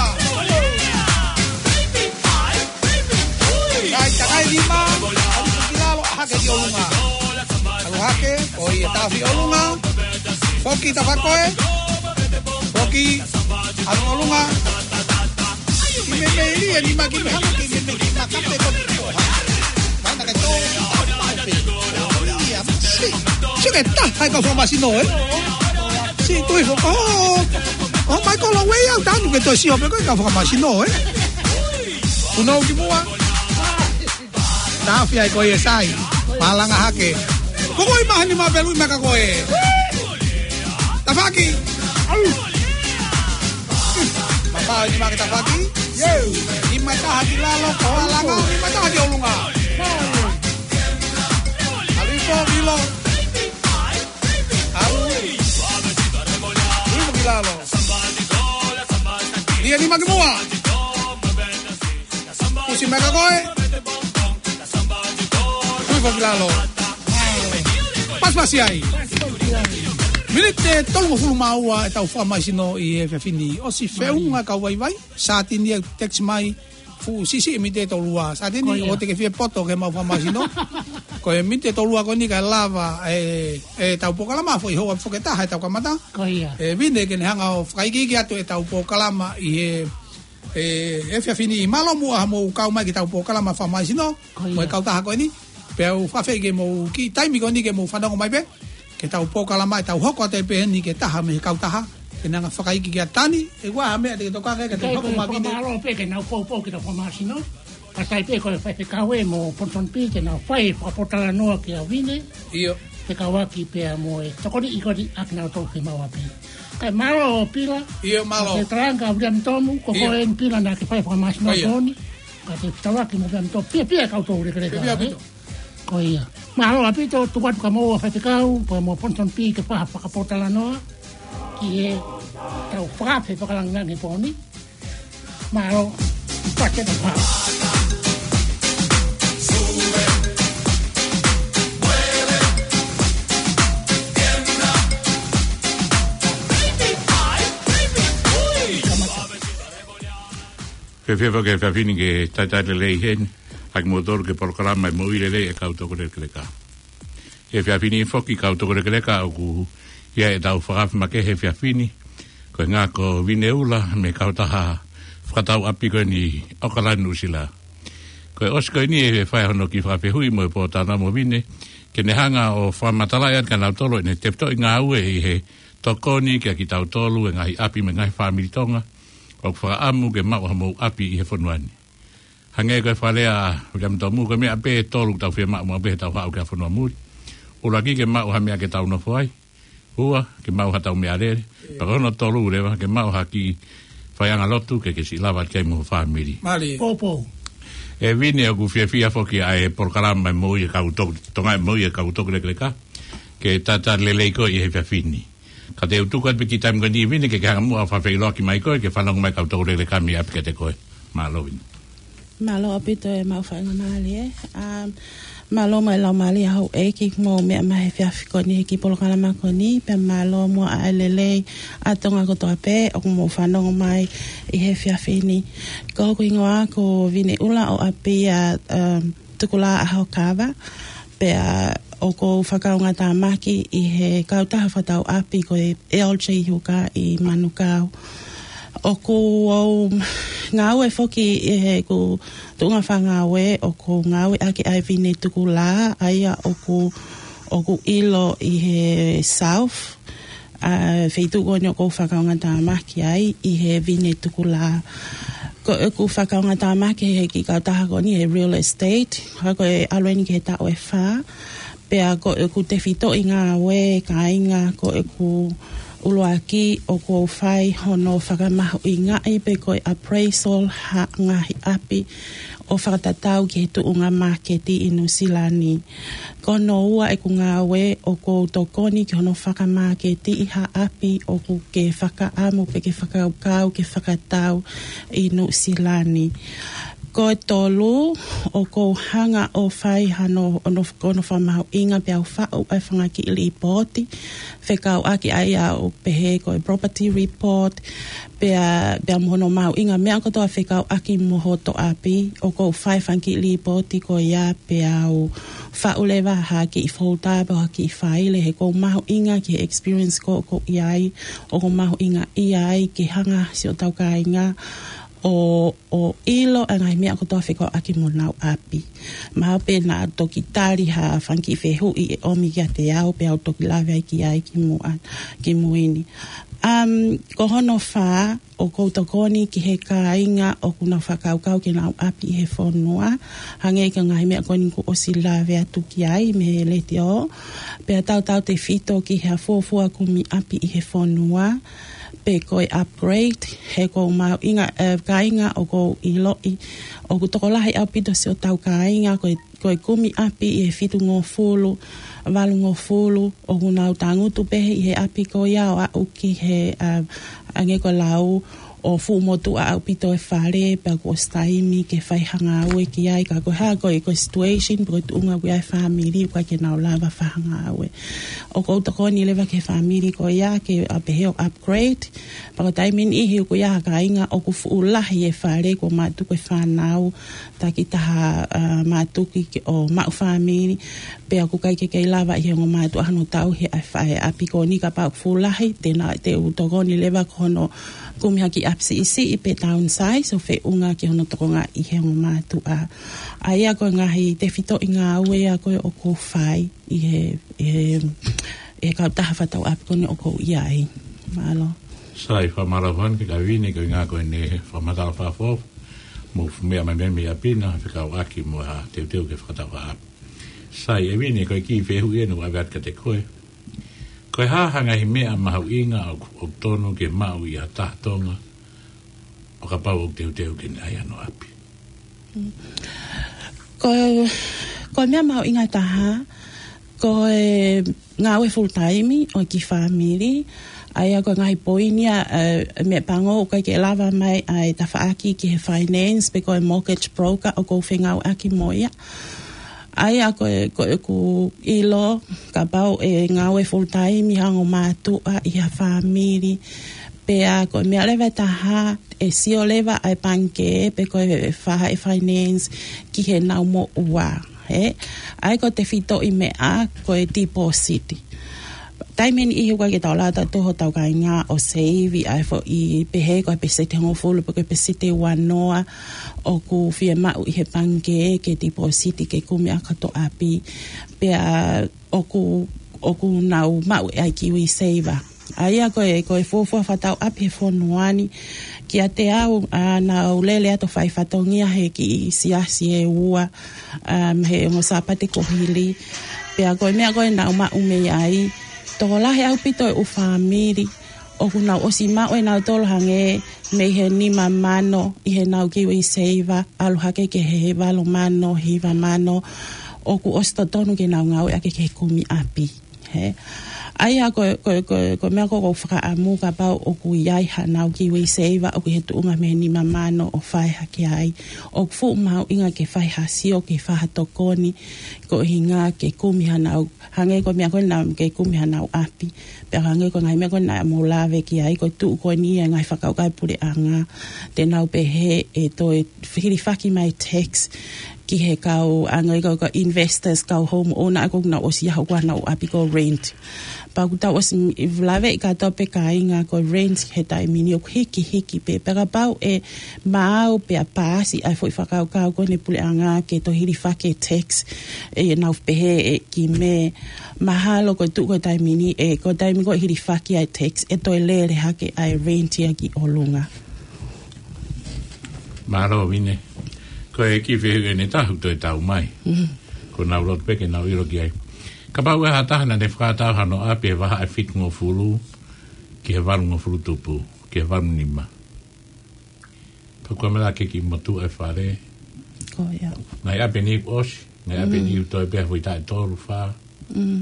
Kai takai nima. Tui ki lalo, ʻalu hake ki ʻolunga. ʻAlu hake, ʻo ia tafi ʻolunga. Foki tafaʻaki ko ē. Foki, ʻalu ʻolunga. Ki me me ili, e nima ki me hanga ki me me ki makape ko ki ko ha. Mana ke tō, ki tō, ki tō, ki tō. Ia, si. Si ke taha e kau fakamaisino, ē? Si tui fo, ʻo. ʻOmai ko lo wei au tanu ke tō si o pe ko e kau fakamaisino, ē? Kuno ki mua. Tafi ai ko ia sai. Malanga hake. Ko ko i mahani ma pelu i maka ko e. Tafaʻaki. Au. Mapā ni ma ke tafaʻaki. Yo. Ni ma taha ki lalo, ko alanga, ni ma taha ki ʻolunga. Alu ifo, ʻilo. Alu. Ui, ki lalo. Ia ni ma ki mua. Kusi meka ko ē. Tui fo ki lalo. Pasipasi ai. Miniti ʻe tolungofulu mā ua e tau fakamaisino ʻi he efiafi ni. ʻOsi feʻunga kau vaivai. Sātini ʻe text mai. Fuʻu siʻisiʻi miniti ʻe tolu ua. Sātini ʻo te ke fie poto ke mau fakamaisino. Ko e miniti ʻe tolu ua ko eni kae lava e, e tau polokalama foʻi houa foki ʻe taha e tau kamata. Ko ia. E Vine ke ne hanga ʻo fakaikiiki atu e tau polokalama ʻi he E, efiafi ni mālō muʻa hoʻomou kau mai ki he tau polokalama fakamaisino, mo e kautaha ko eni. Pea u fakafeʻi ke mou kiʻi taimi ko eni ke mou fanongo mai pē. Ki he tau polokalama ʻe tau hoko atu ai pē eni ki he taha mei he kautaha. Ke nau hanga fakaiki kia Tani, ʻe ʻi ai ha meʻa te ke tokanga ki ai, ka te Kai hoko ko e mai Vine. Fakamālō pē ke nau poupou ki he fakamāsino. Ka tai pē ko e faifekau ē mo Ponson P ke nau fai fakapotalanoa kia Vine. ʻIo. Fekauʻaki pea mo e tokoni ʻi koni ʻaki nau tau ke mau api. Kai mālō Pila. ʻIo, mālō. Ke talanga William Tomu, ko ʻIo. Ko eni Pila naʻa ke fai fakamāsino Ko ia. Toni. Ka te fekauʻaki mo William Tomu. Pia, pia kau tau lekeleka, Pia, pia, ē? Pia. Ko ia. Mālō ʻaupito, tuku atu kia moua faifekau, pea mo Ponson P ke fai ha fakapotalanoa. Ki he tau fakafe fakalāngilangi pōni. Mālō. Pake na pā. Fēfē foki e efiafi ni ke talitali lelei heni, ʻa kimoutolu ki he polokalama e Moʻui Lelei e Kau Toko Lekeleka. He efiafi ni foki kau toko lekeleka ʻoku ʻi ai ʻetau fakafe makehe he efiafi ni. Ko e ʻuhinga ko Vine Ula mei he kautaha fakatau ʻapi ko eni ʻAokalani Nuʻusila. Ko e ʻosi ko eni ʻe fai hono kiʻi fakafehuʻi mo e pōtalanoa mo Vine, ke ne hanga ʻo fakamatalaʻi atu kia nautolu ʻene tefitoʻi ngāue ʻi he tokoni kia kitautolu e ngaahi ʻapi mo e ngaahi fāmili Tonga ʻoku fakaʻamu ke maʻu hamou ʻapi ʻi he fonua ni. Hangē ko e fakalea ʻa William Tomu, ko e meʻa pē ʻe tolu ʻoku tau fiemaʻu maʻu pē heʻetau haʻu ki he fonua muli. ʻUluaki ke maʻu ha meʻa ke tau nofo ai. Ua, ke maʻu haʻatau meʻalele. Pea ko hono tolu leva, ke maʻu ha kiʻi faiʻanga lotu ke ke siʻi lava ki ai mo ho fāmili. Mālie. Poupou. ʻE Vine, ʻoku fiefia foki ʻa e polokalama e Moʻui e Kau Toko, Tonga e Moʻui e Kau Toko Lekeleka, ke talitali lelei koe ʻi he efiafi ni. Ka te u tuku atu pē kiʻi taimi ko eni Vine ke ke hanga muʻa ʻo fakafeʻiloaki mai koe, ke fanongo mai kau toko lekeleka mei ʻapi kiate koe. Mālō Vine. Mālō ʻaupito e maʻu faingamālie. Um, mālō mo e laumālie ʻa houʻeiki mo meʻa mai he efiafi ko eni he kiʻi polokalama ko eni, pea mālō muʻa ʻa e lelei ʻa Tonga kotoa pē ʻoku mou fanongo mai ʻi he efiafi ni. Ko hoku hingoa ko Vine Ula ʻo ʻapi ʻa, um, Tukulā ʻAhokava, pea ʻoku ou fakaʻaongaʻi tāmaki ʻi he kautaha fakatau ʻapi ko e L J Huka ʻi Manukau. ʻOku ou ngāue foki ʻi heʻeku tuʻunga fakangāue, ʻoku ou ngāueʻaki ʻa e Vine Tukulā, ʻa ia ʻoku, ʻoku ʻilo ʻi he South, ʻa e feituʻu ko eni ʻoku ou fakaʻaongaʻi tāmaki ai ʻi he Vine Tukulā. Ko ʻeku fakaʻaongaʻi tāmaki he kiʻi kautaha ko eni he real estate, ka ko e ʻalu eni ki he taʻu ʻe fā, pea ko ʻeku tefitoʻi ngāue kāinga ko ʻeku ʻuluaki ʻoku ou fai hono fakamahuʻingaʻi pe ko e appraisal ha ngaahi ʻapi ʻo fakatatau ki he tuʻunga māketi ʻi Nuʻusila ni. Ko hono ua ʻeku ngāue ʻoku ou tokoni ki hono fakamāketiʻi ha ʻapi ʻoku ke fakaʻamu pe ke fakakaukau ke fakatau ʻi Nuʻusila ni. Ko e tolu ʻoku ou hanga ʻo fai hano, hono, hono fakamahuʻinga pea u faʻu ʻa e fanga kiʻi lipooti fekauʻaki ʻa ia ʻoku pehē ko e property report, pea, pea mo hono mahuʻinga meʻa kotoa fekauʻaki mo hoto ʻapi, ʻoku ou fai fanga kiʻi lipooti ko ia pea u faʻu leva ha kiʻi folder pe ha kiʻi faile he ʻoku ou mahuʻinga ki he experience ko ē ʻoku ou ʻi ai, ʻoku ou mahuʻingaʻia ai ke hanga siʻotau kāinga ʻo, ʻo ʻilo ʻa e ngaahi meʻa kotoa fekauʻaki mo honau ʻapi. Mahalo pē naʻa toki tali ha fanga kiʻi fehuʻi ʻe ʻomi kiate au pea u toki lave ai ki ai ki muʻa, ki mui ni. Um, ko hono fā, ʻoku ou tokoni ki he kāinga ʻoku nau fakakaukau ke nau ʻapi ʻi he fonua, hangē ko e ngaahi meʻa ko eni kuo ʻosi lave atu ki ai mei he letiō, pea tautautefito ki he fuofua kumi ʻapi ʻi he fonua, pe ko e upgrade, he ʻoku ou mahuʻinga, eh, kāinga ʻoku ou ʻiloʻi ʻoku tokolahi ʻaupito siʻotau kāinga ko e, ko e kumi ʻapi ʻi he fitungofulu, valungofulu, ʻoku nau tangutu pē ʻi he ʻapi ko ia ʻo aʻu ki he, eh, hangē ko e lau ʻo fuʻu motuʻa ʻaupito e fale, pea kuo ʻosi taimi ke fai ha ngāue ki ai, ka ko e hā ko e, ko e situation, pe ko e tuʻunga ʻoku ʻi ai e fāmili, ʻoku ʻikai ke nau lava fai ha ngāue. ʻOku ou tokoni leva ki he fāmili ko ia ke, ʻa, pehē ʻo upgrade, pea ko e taimi niʻihi ʻoku ʻi ai ha kāinga ʻoku fuʻu lahi e fale kuo mātuku e fānau, takitaha, ʻa, mātuku ke, ʻo maʻu fāmili, pea ʻoku ʻikai ke kei lava ʻe he ongo mātuʻa hono tauhi ʻa e fa-, ʻa e ʻapi ko eni kapau ʻoku fuʻu lahi, te nau, te u tokoni leva ko hono kumi ha kiʻi ʻapi siʻisiʻi pe downsize ʻo feʻunga ki hono tokongaʻi ʻe he ongo mātuʻa. ʻA ia ko e ngaahi tefitoʻi ngāue ia ko ē ʻoku ou fai ʻi he, ʻi he, ʻi he kautaha fakatau ʻapi ko eni ʻoku ou ʻi ai. Mālō. Sai, fakamālō atu kia Vine, ko e ʻuhinga ko ʻene fakamatala fakafoʻou. Mo e fuʻu meʻa mai mei ʻapi na, fekauʻaki mo ha teuteu ke fakatau ha ʻapi. Sai, ʻe Vine, ko e kiʻi fehuʻi eni ʻoku ʻave atu kiate koe. Ko e hā ha ngaahi meʻa mahuʻinga ʻoku, ʻoku totonu ke maʻu ʻe ha taha Tonga, ʻo kapau ʻoku teuteu ke ne ʻai hano ʻapi? Ko, ko e meʻa mahuʻinga taha, ko e ngāue full time ʻo e kiʻi fāmili, ʻa ia ko e ngaahi poini ia, ē, meʻapango ʻoku ʻikai ke lava mai ʻa e tafaʻaki ki he finance pe ko e mortgage broker ʻoku ou fengāueʻaki mo ia. ʻA ia ko e, ko ʻeku ʻilo, kapau ʻe ngāue full time ʻi ha ongo mātuʻa ʻi ha fāmili, pea ko e meʻa leva ʻe taha, ʻe sio leva ʻa e pangikē pe ko e fai ʻa e finance ki heʻenau moʻua, ē? ʻA ia ko e tefitoʻi meʻa ko e deposit. Taimi ʻe niʻihi ʻoku ʻikai ke tau lava ʻo tau toho hotau kāinga ʻo seivi ʻa e foʻi pehē ko e peseti hongofulu pe ko e peseti uanoa ʻoku fiemaʻu ʻi he pangikē ke deposit ke kumi ʻaki hoto ʻapi. Pea ʻoku, ʻoku nau maʻu ʻa e KiwiSaver. ʻA ia ko e, ko e fuofua fakatau ʻapi he fonua ni, kiate au, ʻa, naʻá ku lele atu ʻo fai fatongia he kiʻi siasi ʻe ua, um, he ongo Sāpate kuo hili. Pea ko e meʻa ko ē naʻá ku maʻu mei ai, tokolahi ʻaupito ʻeku fāmili ʻoku nau ʻosi maʻu ʻe nautolu hangē mei he nima mano ʻi heʻenau KiwiSaver, ʻalu hake ki he valu mano, hiva mano, ʻoku ʻosi totonu ke nau ngāueʻaki ke kumi ʻapi. Ē? ʻA ia ko, ko, ko, ko e meʻa ko ē ʻoku ou fakaʻamu kapau ʻoku ʻi ai haʻanau KiwiSaver ʻoku ʻi he tuʻunga mei he nima mano ʻo fai hake ai. ʻOku fuʻu mahuʻinga ke fai ha sio, ke fai ha tokoni, ko e ʻuhinga ke kumi haʻanau, hangē ko e meʻa ko ē naʻa ke kumi haʻanau ʻapi. Pea hangē ko e ngaahi meʻa ko ē naʻa mou lave ki ai, ko e tuʻu ko eni ʻa e ngaahi fakakaukau ʻa e puleʻanga, te nau pehē ʻe toe hilifaki mai tax ki he kau, hangē ko e kau investors, kau homeowner, ʻa ia ʻoku nau ʻosi ʻi ai haʻanau ʻapi ko e rent. Pea ʻoku tau ʻosi lave ʻi he kātoa pē kāinga ko e rent he taimi ni ʻoku hikihiki pē. Pea kapau ʻe maau pea paasi ʻa e foʻi fakakaukau ko eni ʻa e puleʻanga ke toe hilifaki e tax, ʻe nau pehē ʻe ki mē, mahalo ko e tuʻu ko e taimi ni, ē, ko e taimi ko ē ʻe hilifaki ai e tax, ʻe toe lele hake ʻa e rent ia ki ʻolunga. Mālō Vine. Ko e kiʻi fehuʻi ʻe taha ʻoku toe tau mai. Mhm. Ko ʻenau loto pē ke nau ʻilo ki ai. Kapau ʻe ʻi ai ha taha naʻá ne fakatau hano ʻapi he vahaʻa ʻe fitungofulu ki he valungofulu tupu, ki he valu nima. Pea kuo mala ke kiʻi motuʻa e fale. Ko ia. Ngaahi ʻapi ʻe niʻihi ʻosi, ngaahi ʻapi ʻe niʻihi toe pē ha foʻi taʻu ʻe tolu fā. Mm.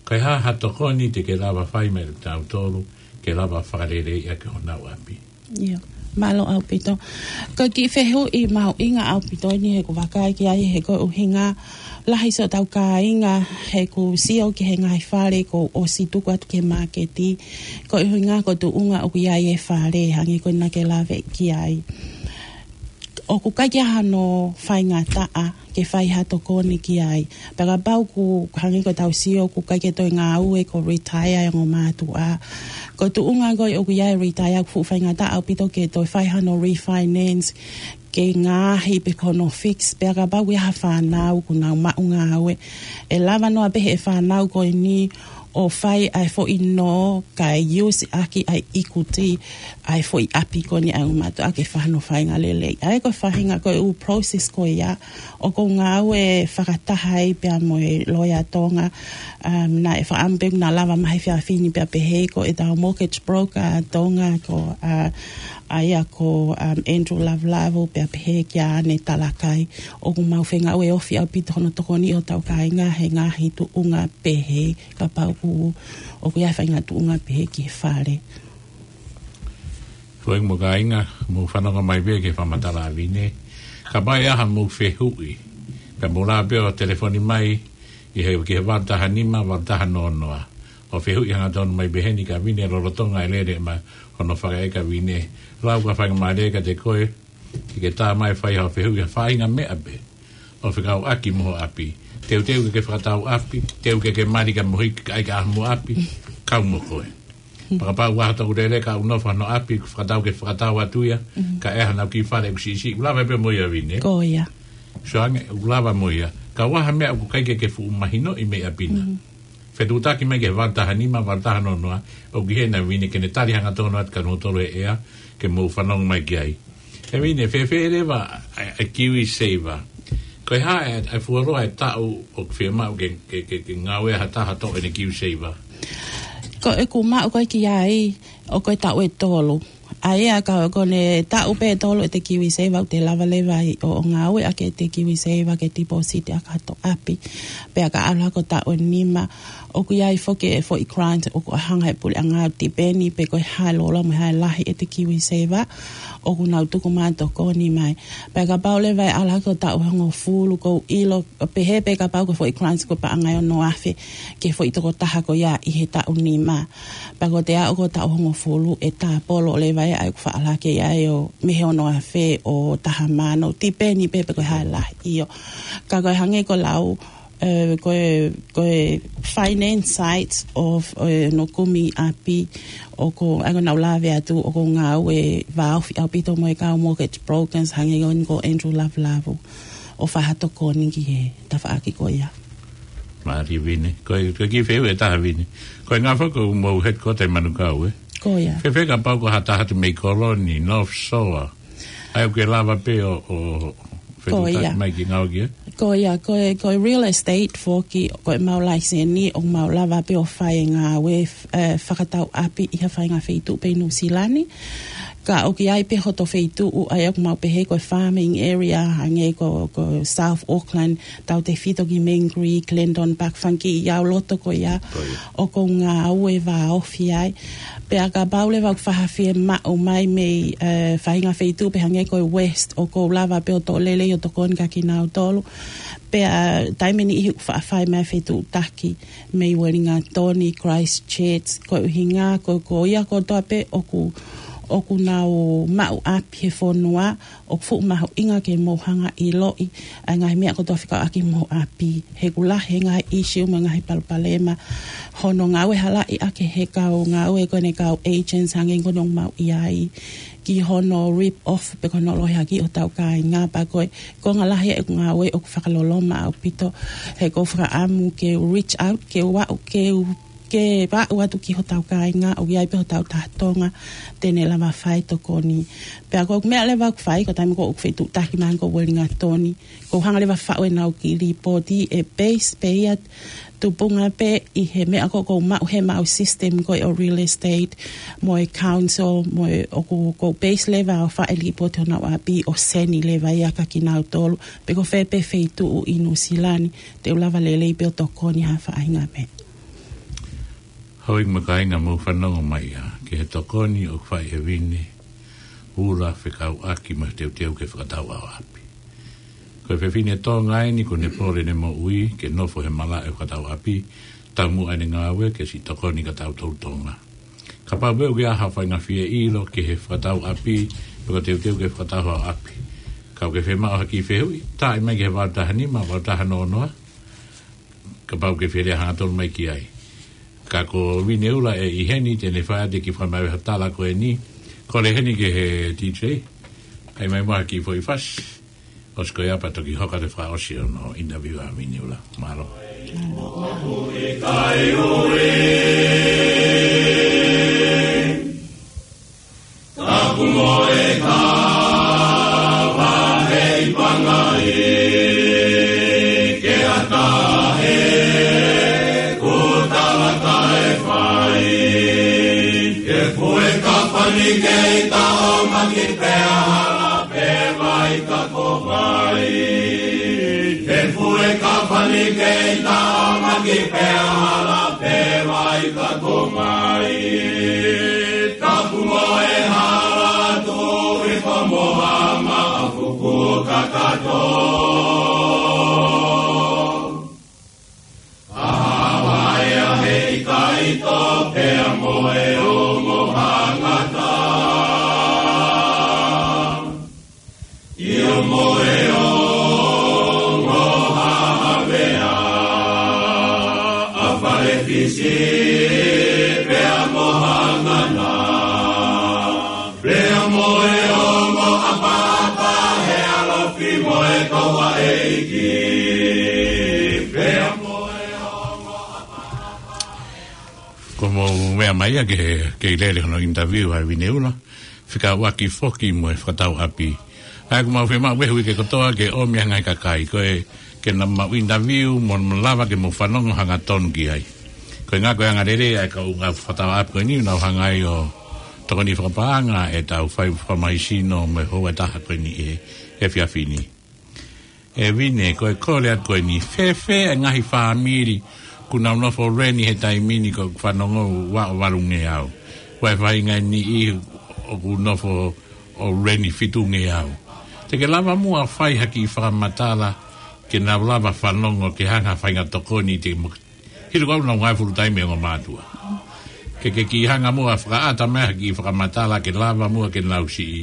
Ko e hā ha tokoni te ke lava fai mei tautolu, ke lava fakaleleiʻi ʻaki honau ʻapi? Ia, mālō ʻaupito. Ko e kiʻi fehuʻi mahuʻinga ʻaupito eni he ʻoku ou vakai ki ai he ko e ʻuhinga lahi siʻotau kāinga he ʻoku sio ki he ngaahi fale kuo ʻosi tuku atu ki he māketi. Ko e ʻuhinga ko e tuʻunga ʻoku ʻi ai e fale, hangē ko ena naʻá ke lave ki ai. ʻOku ʻikai ke ʻi ai hano faingataʻa ke fai ha tokoni ki ai. Pea kapau ʻoku hangē ko ʻetau sio ʻoku ʻikai ke toe ngāue, kuo retire e ongo mātuʻa. Ko e tuʻunga ko ē ʻoku ʻi ai e retire ʻoku fuʻu faingataʻa ʻaupito ke toe fai hano refinance, ke ngaohi pe ko hono fix, pea kapau ʻoku ʻi ai ha fānau kuo nau maʻu ngāue. ʻE lava noa pē ʻe he fānau ko eni ʻo fai ʻa e foʻi nō kae use ʻaki ʻa e equity ʻa e foʻi ʻapi ko eni ʻa e ongo mātuʻa ke fai hano faʻahinga lelei. ʻA ia ko e faʻahinga ko e ʻū process ko ia ʻoku ou ngāue fakataha ai pea mo e loea Tonga, um, naʻe fakaʻamu pē naʻa lava mai he efiafi ni pea pehē ko ʻetau mortgage broker Tonga ko, uh, ʻa ia ko, um, Andrew Lavulavu pea pehē kia ʻAne Talakai. ʻOku mau fengāueʻaki ʻaupito hono tokoniʻi hotau kāinga he ngaahi tuʻunga pehē kapau ʻoku, ʻoku ʻi ai e faʻahinga tuʻunga pehē ki he fale. Foʻi mo kāinga, mou fanongo mai pē ki he fakamatala ʻa Vine. Kapau ʻe ʻi ai haʻamou fehuʻi, pea mou lava pē ʻo telefoni mai ʻi he, ki he valu taha nima, valu taha noa noa. ʻO fehuʻi hangatonu mai pē heni kia Vine lolotonga e lele mai hono fakaʻeke ʻa Vine. Lau ka faingamālie kiate koe, ke ke tā mai fai haʻo fehuʻi ha faʻahinga meʻa pē ʻoku fekauʻaki mo ho ʻapi. Teuteu ke ke fakatau ʻapi, teuteu ke ke mali ka mohi ka ʻai ka ʻaho mo ʻapi, kau mo koe. Pea kapau ʻoku ʻi ai ha tokoua lele ka ʻoku nofo ʻi hono ʻapi, ʻoku fakatau ke fakatau atu ia, ka ʻi ai haʻanau kiʻi fale ʻoku siʻisiʻi, ʻoku lava pē mo ia Vine. Ko ia. Sio ange, ʻoku lava mo ia. Ka ʻi ai ha meʻa ʻoku ʻikai ke ke fuʻu mahinoʻi mei ʻapi na. Fetuʻutaki mai ki he valu taha nima, valu taha noa noa, ʻoku ʻi heni ʻa Vine ke ne tali hangatonu atu kia kimoutolu he ʻea, ke mou fanongo mai ki ai. ʻE Vine, fēfē leva ʻa e, ʻa e KiwiSaver? Ko e hā e, e fuoloa e taʻu ʻoku fiemaʻu ke, ke, ke, ke ngāue ha taha toʻo ʻene KiwiSaver? Ko ʻeku maʻu ko ē ki ai, ʻoku ʻi ai e taʻu ʻe tolu. ʻA ia ka ko ʻene taʻu pē ʻe tolu ʻete KiwiSaver, ʻoku te lava leva ai ʻo, ʻo ngāueʻaki ʻete KiwiSaver ke tipōsiti ʻaki ha taʻu ʻapi. Pea ka ʻalu hake ʻo taʻu ʻe nima, ʻoku ʻi ai foki e foʻi grant ʻoku hanga ʻe he puleʻanga ʻo tipeni pe ko e hā e lōloa mo e hā e lahi ʻete KiwiSaver ʻoku nau tuku mai ʻo tokoni mai. Pea kapau leva ʻe ʻalu hake ʻo taʻu ʻe hongofulu, ʻoku ou ʻilo, pehē pē kapau ko e foʻi grant ko e paʻanga ʻe ono afe ki he foʻi tokotaha ko ia ʻi he taʻu nima. Pea ko ʻete aʻu ko ē ʻo taʻu ʻe hongofulu ʻe tāpolo leva ia ʻa ʻeku faʻa ʻalu hake ia ʻo mei he ono afe ʻo taha mano, tipeni pē pe ko e hā e lahi. ʻIo. Ka ko e hangē ko e lau, ē, ko e, ko e finance side ʻo, ʻo e, ʻenau kumi ʻapi, ʻoku, ʻa ia ʻoku nau lave atu, ʻoku ou ngāue vāofi ʻaupito mo e kau mortgage brokers, hangē ko eni ko Andrew Lavulavu, ʻo fai ha tokoni ki he tafaʻaki ko ia. Mālie Vine. Ko e, ko e kiʻi fehuʻi ʻe taha Vine. Ko e ʻuhinga foki ʻoku mou headquarter ʻi Manukau, ē? Ko ia. Fēfē kapau ko ha taha atu mei Kolo ni, North Shore, ʻa ia ʻoku ke lava pē ʻo, ʻo fetuʻutaki mai ke ngāue ki ai? Ko ia, ko e, ko e real estate foki, ko ʻemau laiseni, ʻoku mau lava pē ʻo fai e ngāue, ē, fakatau ʻapi ʻi ha faʻahinga feituʻu pē ʻi Nuʻusila ni. Ka ʻoku ʻi ai pē hoto feituʻu, ʻa ia ʻoku mau pehē ko e farming area, hangē ko, ko South Auckland, tautefito ki Mangere, Glendon Park, fanga kiʻi ʻalu loto ko ia, ʻoku ou ngāue vāofi ai. Pea kapau leva ʻoku faʻa fiemaʻu mai mei, ē, faʻahinga feituʻu pē hangē ko e West, ʻoku ou lava pē ʻo toʻo lelei ʻo tokoni kia kinautolu. Pea taimi ʻe niʻihi ʻoku faʻa fai mai fetuʻutaki mei Uelingatoni, Christchurch, ko e ʻuhinga ko, ko ia kotoa pē ʻoku, ʻoku nau maʻu ʻapi he fonua, ʻoku fuʻu mahuʻinga ke mou hanga ʻo ʻiloʻi ʻa e ngaahi meʻa kotoa fekauʻaki mo homou ʻapi. He ʻoku lahi e ngaahi issue mo e ngaahi palopalema. Hono ngāue halaʻi ʻaki ʻe he kau ngāue ko eni, kau agents, hangē ko eni ʻoku mau ʻi ai, ki hono rip off pe ko hono lohiakiʻi hotau kāinga. Pea ko e konga lahi ʻeku ngāue ʻoku fakaloloma ʻaupito. He ʻoku ou fakaʻamu ke reach out, ke u aʻu, ke u ke vaʻu atu ki hotau kāinga, ʻoku ʻi ai pē hotau taha Tonga te ne lava fai tokoni. Pea ko e meʻa leva ʻoku fai, ko e taimi ko ē ʻoku fetuʻutaki mai ko Uelingatoni, ʻoku ou hanga leva ʻo faʻu ʻenau kiʻi līpooti, ʻe base pē ia, tupunga pē ʻi he meʻa ko ē ʻoku ou maʻu he mau system ko ē ʻo real estate, mo e council, mo e ʻoku, ʻoku ou base leva ʻo faʻu e līpooti honau ʻapi ʻo send leva ia kia kinautolu, pe ko fē pē feituʻu ʻi Nuʻusila ni, te u lava lelei pē ʻo tokoni ha faʻahinga meʻa. Houʻeiki mo e kāinga, mou fanongo mai ia ki he tokoni ʻoku fai ʻe Vine Ula fekauʻaki mo e teuteu ki he fakatau ʻaho ʻapi. Ko e fefine Tonga eni, ʻoku ne pole ʻene moʻui ke nofo he malaʻe fakatau ʻapi, taumuʻa ʻene ngāue ke siʻi tokoni kia tautolu Tonga. Kapau pē ʻoku ʻi ai ha faʻahinga fie ʻilo ki he fakatau ʻapi, pe ko e teuteu ki he fakatau ʻaho ʻapi, ka ʻoku ke fiemaʻu ha kiʻi fehuʻi, tā mai ki he valu taha nima, valu taha noa noa, kapau ʻoku ke fie lea hangatonu mai ki ai. Ka ko Vine Ula ʻe ʻi heni te ne fai atu e kiʻi fakamaʻu ʻo e tala ko eni. Kole heni ki he DJ, ʻai mai muʻa ha kiʻi foʻi fasi. ʻOsi ko ia pea toki hoko atu e fakaʻosi ʻo hono interview ʻa Vine Ula. Mālō. Tapu mo e kava hei pangai ke atahe ku talaka e fai. Ke fue kafani ke ita o maki pea hala pe vai ka ko vai. Ke fue kafani ke ita o maki pea hala pe vai ka ko vai. Tapu mo e hala tu i ko mo hama a fuku kakato. A hawa e a he i kai to pea mo e o mo hangata. ʻIo mo e ongo hahavea, ʻa Falefisi pea mo Hangana. Pea mo e ongo ʻapaʻapa he ʻalofi mo e kau ʻeiki. Pea mo e ongo ʻapaʻapa Meʻa mai ia ke, ke ʻi lele hono interview ʻa Vine Ula, fekauʻaki foki mo e fakatau ʻapi. ʻA ia ʻoku mau fiemaʻu he uike kotoa ke ʻomi ʻa e ngaahi kakai, ko e, ke nau mau interview mo, mo lava ke mau fanongo hangatonu ki ai. Ko e ngaahi, ko e anga lelei ʻa e kau ngāue fakatau ʻapi ko eni, nau hanga ai ʻo tokoni fakapaʻanga ʻetau fai fakamahisino mo e houa ʻe taha ko eni ʻi he, he efiafi ni. ʻE Vine, ko e kole atu ko eni, fēfē e ngaahi fāmili ʻoku nau nofo rent he taimi ni? ʻOku ou fanongo ua ʻo valungeau. Ua e faʻahinga ʻe niʻihi ʻoku nofo ʻo rent fitungeau. Te ke lava muʻa fai ha kiʻi fakamatala ke nau lava fanongo ke hanga ha faʻahinga tokoni te mo-, hili ko ʻenau ngāue full time ʻa e ongo mātuʻa. Ke, ke kiʻi hanga muʻa fakaʻata mai ha kiʻi fakamatala ke lava muʻa ke nau siʻi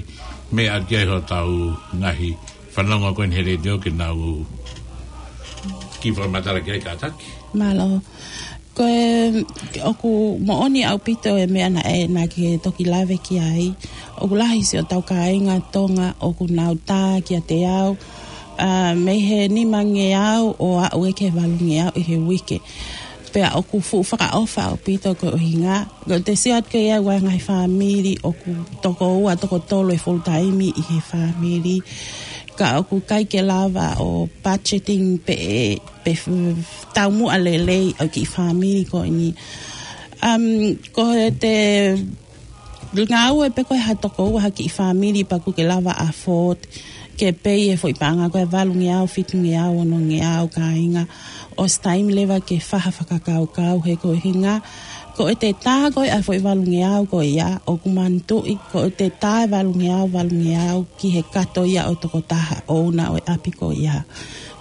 meʻa ki ai hotau ngaahi fanongo ko eni he letiō ke nau kiʻi fakamatala ki ai kātaki. Mālō. Ko e, ʻoku moʻoni ʻaupito e meʻa naʻe, naʻa ke toki lave ki ai. ʻOku lahi siʻotau kāinga Tonga ʻoku nau tā kiate au, ʻa, mei he nimangeau ʻo aʻu ē ki he valungeau ʻi he uike. Pea ʻoku fuʻu fakaʻofa ʻaupito ko e ʻuhinga, ko e te sio atu ki ai ʻa e ngaahi fāmili ʻoku toko ua, toko tolu e full time ʻi he fāmili. Ka ʻoku ʻikai ke lava ʻo budgeting pe, pe f-, taumuʻa lelei ʻa e kiʻi fāmili ko eni. Um, ko e te ngāue pē ko e ha toko ua ha kiʻi fāmili pea ʻoku ke lava afford ke pei e foʻi paʻanga ko e valungeau, fitungeau, onongeau kāinga. ʻOsi taimi leva ke fai ha fakakaukau he ko e ʻuhinga, ko e te tā ko e ʻa e foʻi valungeau ko ia, ʻoku manatuʻi, ko e te tā e valungeau, valungeau ki he kato ia ʻo e tokotaha ʻouna ʻo e ʻapi ko ia.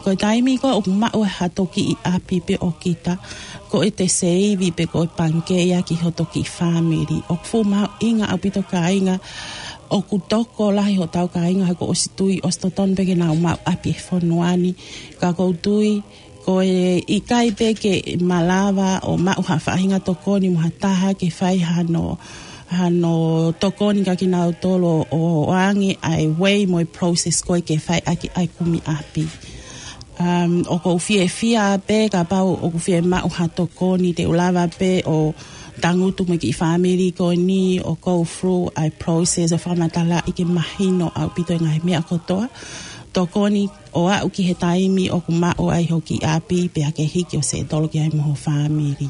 Ko e taimi ko ē ʻoku maʻu ha toki ʻi ʻapi pē ʻo kita, ko e te seivi pē ko e pangikē ia ki hoto kiʻi fāmili. ʻOku fuʻu mahuʻinga ʻaupito kāinga, ʻoku tokolahi hotau kāinga he kuo ʻosi tui, ʻosi totonu pē ke nau maʻu ʻapi he fonua ni, ka ʻoku ou tui, ko e ʻikai pē ke malava ʻo maʻu ha faʻahinga tokoni mo ha taha ke fai hano, hano tokoni kia kinautolu ʻo, ʻo ʻoange ʻa e way mo e process ko ē ke fai ʻaki ʻa e kumi ʻapi. Um, ʻoku ou fiefia pē kapau ʻoku fiemaʻu ha tokoni te u lava pē ʻo tangutu mo e kiʻi fāmili ko eni ʻo go through ʻa e process ʻo fakamatalaʻi ke mahino ʻaupito e ngaahi meʻa kotoa. Tokoni ʻo aʻu ki he taimi ʻoku maʻu ai ho kiʻi ʻapi pea ke hiki ʻo settle ki ai mo ho fāmili.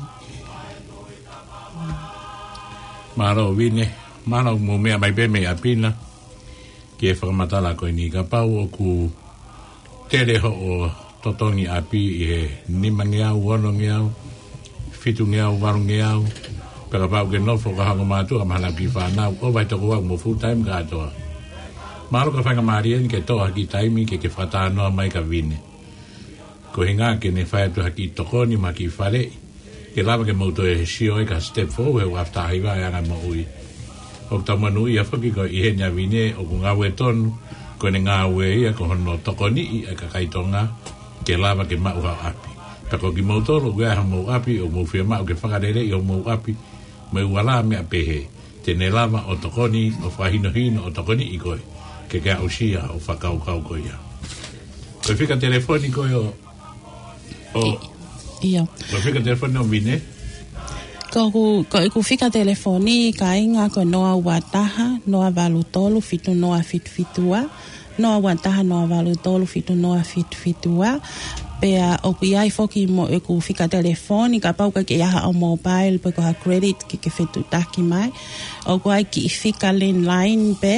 Mālō Vine, mālō mo e meʻa mai pē mei ʻapi na ki he fakamatala ko eni. Kapau ʻoku tele hoʻo totongi ʻapi ʻi he nimangeau, onongeau, fitungeau, valungeau, pea kapau ʻoku ke nofo ko ha ongo mātuʻa mo haʻanau kiʻi fānau, ʻo vahe toko ua mo full time kātoa. Mahalo ko e faingamālie eni ke toʻo ha kiʻi taimi ke ke fakatalanoa mai kia Vine. Ko e ʻuhinga ke ne fai atu ha kiʻi tokoni mo ha kiʻi faleʻi ke lava ke mou toe sio ai ki ha step foʻou he ʻoku ʻalu atu ʻa e anga moʻui. ʻOku tau monūʻia foki ko e ʻi heni ʻa Vine ʻoku ngāue tonu, ko ʻene ngāue ia ko hono tokoniʻi ʻa e kakai Tonga ke lava ke maʻu ha ʻapi. Pea ko kimoutolu ʻoku ʻi ai hamou ʻapi, ʻoku mou fiemaʻu ke fakaleleiʻi homou ʻapi mo e ua lā meʻa pehē, te ne lava ʻo tokoni, ʻo fakahinohino, ʻo tokoniʻi koe ke ke aʻusia hoʻo fakakaukau ko ia. Ko e fika telefoni ko ē ʻo, ʻo, ʻIo. Ko e fika telefoni ʻo Vine? Ko ʻeku, ko ʻeku fika telefoni kāinga ko e noa ua taha, noa valu tolu, fitu noa fitu fitu ua, noa ua taha, noa valu tolu, fitu noa fitu fitu ua. Pea ʻoku ʻi ai foki mo ʻeku fika telefoni, kapau ʻoku ʻikai ke ʻi ai haʻo mobile pe ko ha credit ke ke fetuʻutaki mai. ʻOku ʻi ai kiʻi fika landline pē,